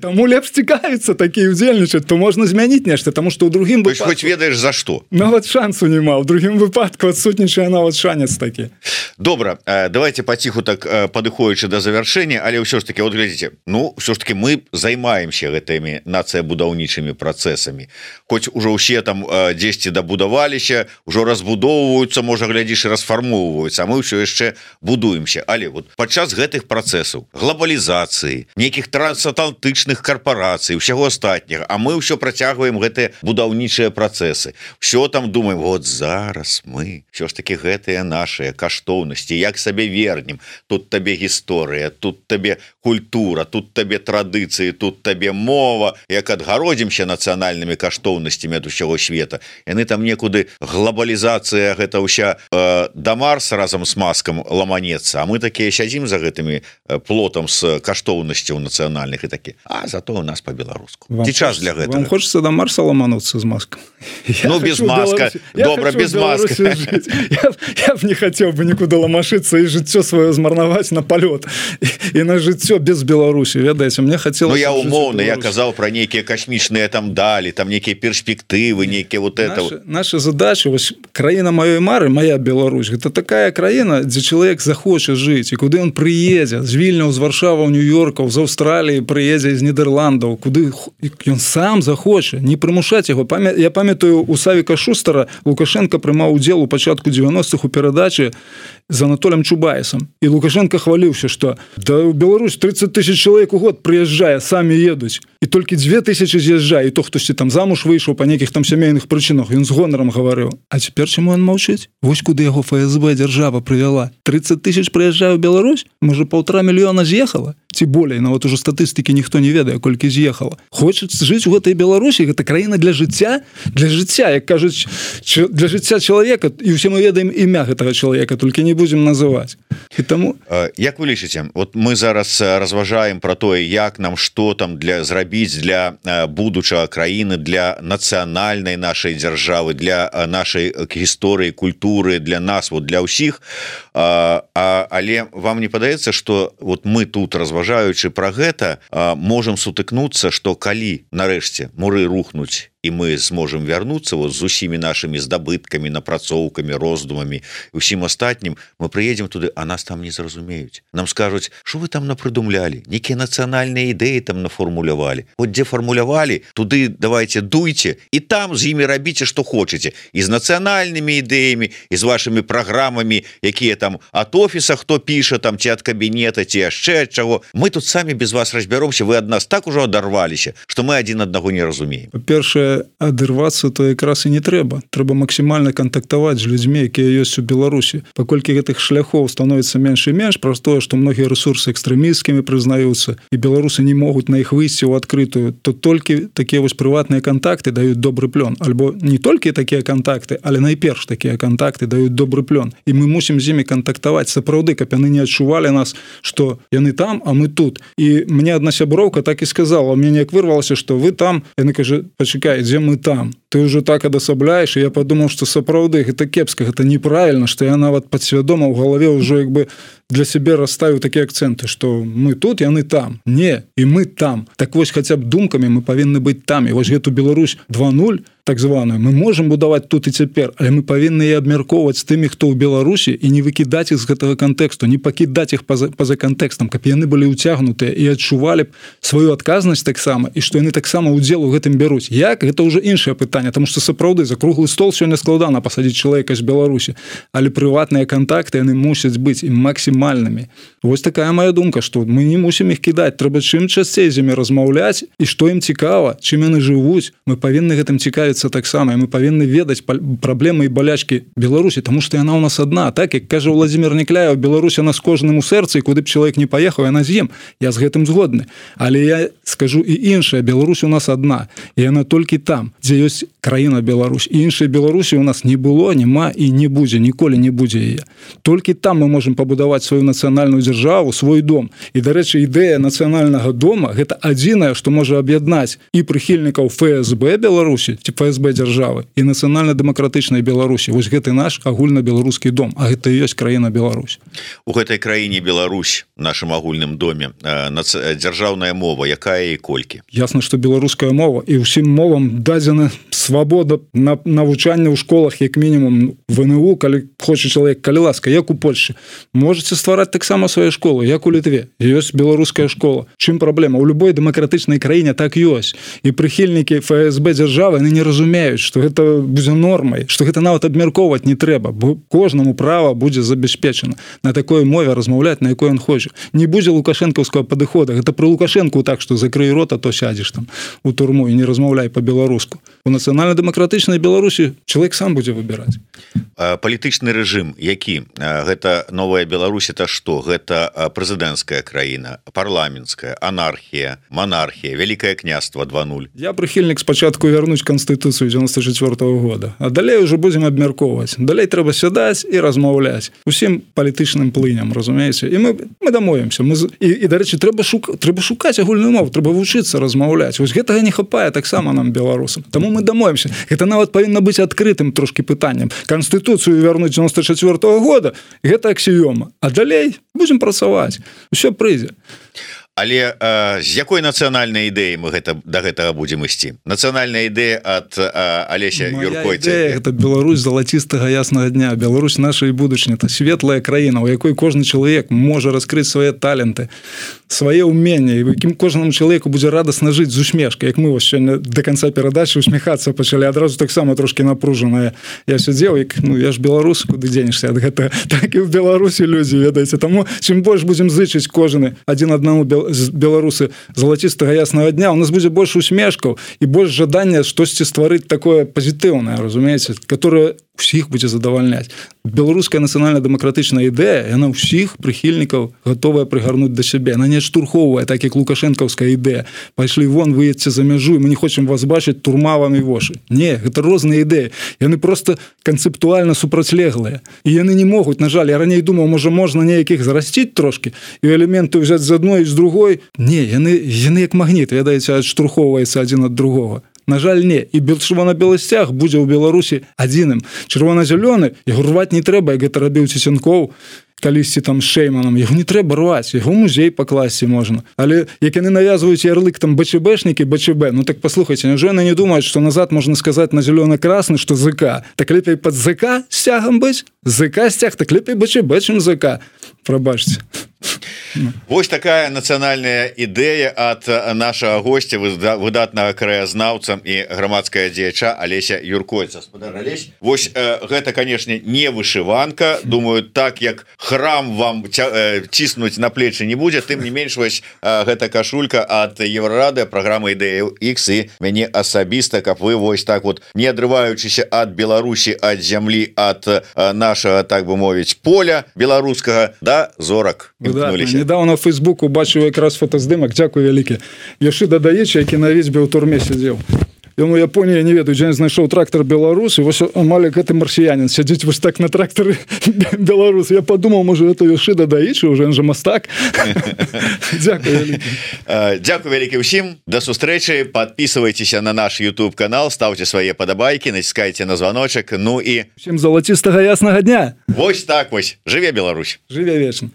таму лепш цікавіцца такі удзельнічаць то можна змяніць нешта таму што ў другім хоць ведаеш за што нават шансу не маў у другім выпадку адсутнічае нават шанец такі добра давайте паціху так падыходзячы да завяршэння але ўсё ж таки вот глядзіце ну ўсё ж таки мы займаемся гэтымі нацыябудаўнічымі працэсамі хоць ужо ўсе там дзесьці дабудаваліся ўжо разбудоўваюцца можа глядзіш і расфармоўваюцца а мы ўсё яшчэ будуемся але вот падчас гэтых працэсаў глобалізацыі нейкіх трансатлантычных карпорацый усяго астатняга а мы ўсё працягваем гэтыя будаўнічыя працэсы все там думаем вот зараз мы все ж таки гэтыя нашыя каштоўнасці як сабе вернем тут табе гісторыя тут табе культура тут табе традыцыі тут табе мова як адгародзімся нацыянальнымі каштоўнасцямі ад усяго света яны там некуды глобалізацыя гэта ўся да Марса разам с маскам ламанецца а мы такія сядзім за гэтымі плотам с каштоўнасцяў нацыянальных і такі а зато у нас по-беларуску ці час для гэтага вам хочется до Марса ламануцца з маскам ну без маска добра без маски я б не хацеў бы нікуды ламашыцца і жыццё сваё змарнаваць на палёт і на жыццё без Беларусі ведаеце мне хацелось я умоўна я казаў про нейкія касмічныя там далі там нейкія перспектывы нейкія вот это наша задача вось краіна маёй мары моя Беларусь гэта такая краіна дзе чалавек захоча жыць і куды ён прыедзе з Вільняў з Варшава Нью-Йоркаў з Аўстраліі прыедзе з Нідерландаў куды ён сам захоча не прымушаць яго я памятаю у Савіка Шустара Лукашенко прымаў удзел у пачатку 90-х у перадачы з Анатолем Чубайсам і Лукашенко хваліўся што да ў Беларусь 30 000 чалавек у год прыязджае самі едуць і толькі 2000 з'язджае і то хтосьці там замуж выйшаў па нейкіх там сямейных прычынах ён з гонарам гаварыў а цяпер чаму ён маўчыць вось куды яго ФСБ дзяржава прывяла 30 000 прыязджае ў Беларусь можа 1,5 мільёна з'ехала ці болей нават ужо статыстыкі ніхто не ведае колькі з'ехала хочуць жыць у гэтай Беларусі гэта краіна для жыцця як кажуць для жыцця чалавека і ўсе мы ведаем імя гэтага чалавека толькі не будзем называць і таму як вы лічыце вот мы зараз разважаем про тое як нам што там для зрабіць для будучага краіны для нацыянальнай нашай дзяржавы для нашай гісторыі культуры для нас вот для ўсіх але вам не падаецца что вот мы тут разважаючы про гэта можем сутыкнуцца что калі нарэшце муры рухнуць і мы зможам вярнуцца вот з усімі нашымі здабыткамі, напрацоўкамі, роздумамі і ўсім астатнім, мы прыедзем туды, а нас там не зразумеюць. Нам скажуць, што вы там напрыдумлялі, нейкія нацыянальныя ідэі там нафармулявалі. Вот дзе фармулявалі, туды давайте дуйце і там з імі рабіце, што хочаце. І з нацыянальнымі ідэямі, і з вашымі праграмамі, якія там ад офіса хто піша, там ці ад кабінета, ці яшчэ ад чаго. Мы тут самі без вас разбяромся, вы ад нас так ужо адарваліся, што мы адзін аднаго не разумеем. Па-першае, адырвацца то якраз і не трэба. Трэба максімальна кантактаваць з людзьмі, якія ёсць у Беларусі. Паколькі гэтых шляхоў становіцца менш і менш, праз тое, што многія рэсурсы экстрэмісцкімі прызнаюцца, і беларусы не могуць на іх выйсці ў адкрытую, то толькі такія вось прыватныя кантакты даюць добры плён. Альбо не толькі такія кантакты, але найперш такія кантакты даюць добры плён. І мы мусім з імі кантактаваць сапраўды, каб яны не адчувалі нас, што яны там, а мы тут. І мне адна сяброўка так і сказала, мне неяк вырвалася, што вы там, яны кажа, пачакай, дзе мы там? Ты ўжо так адасабляеш, і я падумаў, што сапраўды гэта кепска, гэта неправільна, што я нават падсвядома ў галаве ўжо як бы для сябе расставіў такія акцэнты, што мы тут, яны там. Не, і мы там. Так вось хаця б думкамі мы павінны быць там. І вось гэту Беларусь 2.0, так званую, мы можам будаваць тут і цяпер, але мы павінны і абмяркоўваць з тымі, хто ў Беларусі, і не выкідаць іх з гэтага кантэксту, не пакідаць іх па-за кантэкстам, каб яны былі ўцягнутыя і адчувалі б сваю адказнасць таксама, і што яны таксама ўдзел у гэтым бяруць. Як? Гэта ўжо іншае пытанне, таму што сапраўды за круглы стол сёння складана пасадзіць чалавека з Беларусі, але прыватныя кантакты яны мусяць быць і максімальнымі. Вось такая моя думка, што мы не мусім іх кідаць, трэба чым часцей з імі размаўляць, і што ім цікава, чым яны жывуць, мы павінны гэтым цікавіцца таксама, і мы павінны ведаць праблемы і балячкі Беларусі, таму што яна ў нас адна, так як кажа Владзімір Некляев, Беларусь яна з кожным у сэрцы, і куды б чалавек не паехаў, яна з ім. Я з гэтым згодны. Але я скажу і іншае, Беларусь у нас адна, і яна толькі там, дзе ёсць краіна Беларусь. І іншай Беларусі у нас не было, нема і не будзе, ніколі не будзе яе. Толькі там мы можам пабудаваць сваю нацыянальную дзяржаву, свой дом. І, дарэчы, ідэя нацыянальнага дома гэта адзінае, што можа аб'яднаць і прыхільнікаў ФСБ Беларусі, ці ФСБ дзяржавы, і нацыянальна-дэмакратычнай Беларусі. Вось гэты наш агульна-беларускі дом, а гэта і ёсць краіна Беларусь. У гэтай краіне Беларусь, нашым агульным доме, дзяржаўная мова, якая і колькі? Ясна, што беларуская мова, і ўсім мовам дадзена свабода на навучанне ў школах, як мінімум ВНУ, калі хоча чалавек, калі ласка, як у Польшчы. Можаце ствараць таксама свае школы, як у Літве. Ёсць беларуская школа. Чым праблема? У любой дэмакратычнай краіне так ёсць. І прыхільнікі ФСБ дзяржавы, яны не разумеюць, што гэта будзе нормай, што гэта нават абмяркоўваць не трэба, бо кожнаму права будзе забяспечана на такой мове размаўляць, на якой ён хоча. Не будзе лукашэнкаўскага падыхода. Гэта пры Лукашэнку так, што закрый рот, а то сядзеш там у турму і не размаўляй па-беларуску. У нацыянальна-дэмакратычнай Беларусі чалавек сам будзе выбіраць. Палітычны рэжым, які? Гэта новая Беларусь, это што? Гэта прэзідэнцкая краіна, парламенцкая, анархія, монархія, Вялікае княства 2.0. Я прыхільнік спачатку вярнуць Канстытуцыю 94-го года, а далей уже будзем абмяркоўваць. Далей трэба сядаць і размаўляць усім палітычным плыням, разумееце? І мы дамовімся. І, дарэчы, трэба шукаць агульную мову, трэба вучыцца размаўляць. Вось гэтага не хапае таксама нам, беларусам. Таму мы дамовімся. Гэта нават павінна быць адкрытым трошкі пытаннем. Канстытуцыю вярнуць 94-го года, гэта аксіёма. А далей будзем працаваць. Усё прыйдзе. Але з якой нацыянальнай ідэі мы да гэтага будзем ісці? Нацыянальная ідэя ад Алеся Юркойцы. Гэта Беларусь залацістага яснага дня. Беларусь нашай будучыні. Это светлая краіна, у якой кожны чалавек можа раскрыць свае таленты, свае ўменні, у якім кожнаму чалавеку будзе радасна жыць з усмешкай. Як мы вось сёння да канца перадачы усміхацца пачалі, адразу таксама трошкі напружаныя. Я сядзеў, я ж беларус, куды дзенешся ад гэтага. Так і ў Беларусі людзі, ведаеце. Таму чым больш будзем зычыць кожны адзін аднаму беларусы залацістага яснага дня, у нас будзе больш усмешкаў і больш жадання штосьці стварыць такое пазітыўнае, разумееце, которое усіх будзе задавальняць. Беларуская нацыянальна-дэмакратычная ідэя, яна ўсіх прыхільнікаў гатовая прыгарнуць да сябе. Яна не адштурхоўвае, так як лукашэнкаўская ідэя. Пайшлі вон, выедце за мяжу, і мы не хочам вас бачыць, турма вам і вошы. Не, гэта розныя ідэі. Яны проста канцэптуальна супрацьлеглыя. І яны не могуць, на жаль, я раней думаў, можна неякіх зарасціць трошкі, і элементы ўзяць з адной і з другой. Не, яны як магніт, ведаеце, адштурхоўваецца адзін ад другога. На жаль, не. І чырвона-белы сцяг будзе ў Беларусі адзіным. Чырвона-зялёны, яго рваць не трэба, як гэта рабіў Цесенкоў, калісьці там з Шейманом, яго не трэба рваць, яго музей пакласці можна. Але як яны навязваюць ярлык там БЧБшнікі, БЧБ, ну так паслухайце, няўжо яны не думаюць, што назад можна сказаць на зелёна-красны, што ЗК. Так лепей пад ЗК сцягам быць? ЗК сцяг, так лепей БЧБ, чым ЗК. Прабачце. Вось такая нацыянальная ідэя ад нашага госця, выдатнага краязнаўца і грамадская дзеяча Алеся Юркоец. Гаспадар Алесь, вось гэта, канешне, не вышыванка. Думаю, так як храм вам ціснуць на плечы не будзе, тым не менш, вось гэта кашулька ад Еврорады, праграмы Ідэя X, і мяне асабіста, каб вы вось так вот, не адрываючыся ад Беларусі, ад зямлі, ад нашага, так бы мовіць, поля беларускага да зорак імкнуліся. Недавно в Фейсбуку бачыў якраз фотаздымак, дзякуй вялікі, Яшыда Даіча, які на вецьбе ў турме сядзеў. Ён у Японіі, не ведаю, дзе знайшоў трактор Беларус, і вось амаль гэты марсіянин сядзіць вось так на трактары Беларус. Я подумал, можа, это Яшыда Даіча, уже он же мастак. Дзякуй вялікі. Дзякуй вялікі ўсім, да сустрэчы, подписывайтеся на наш YouTube канал, ставьте свае падабайкі, націскайце на званочак, ну і... Всем залацістага яснага дня! Вось так вось, жыве Беларусь! Жыве вечна!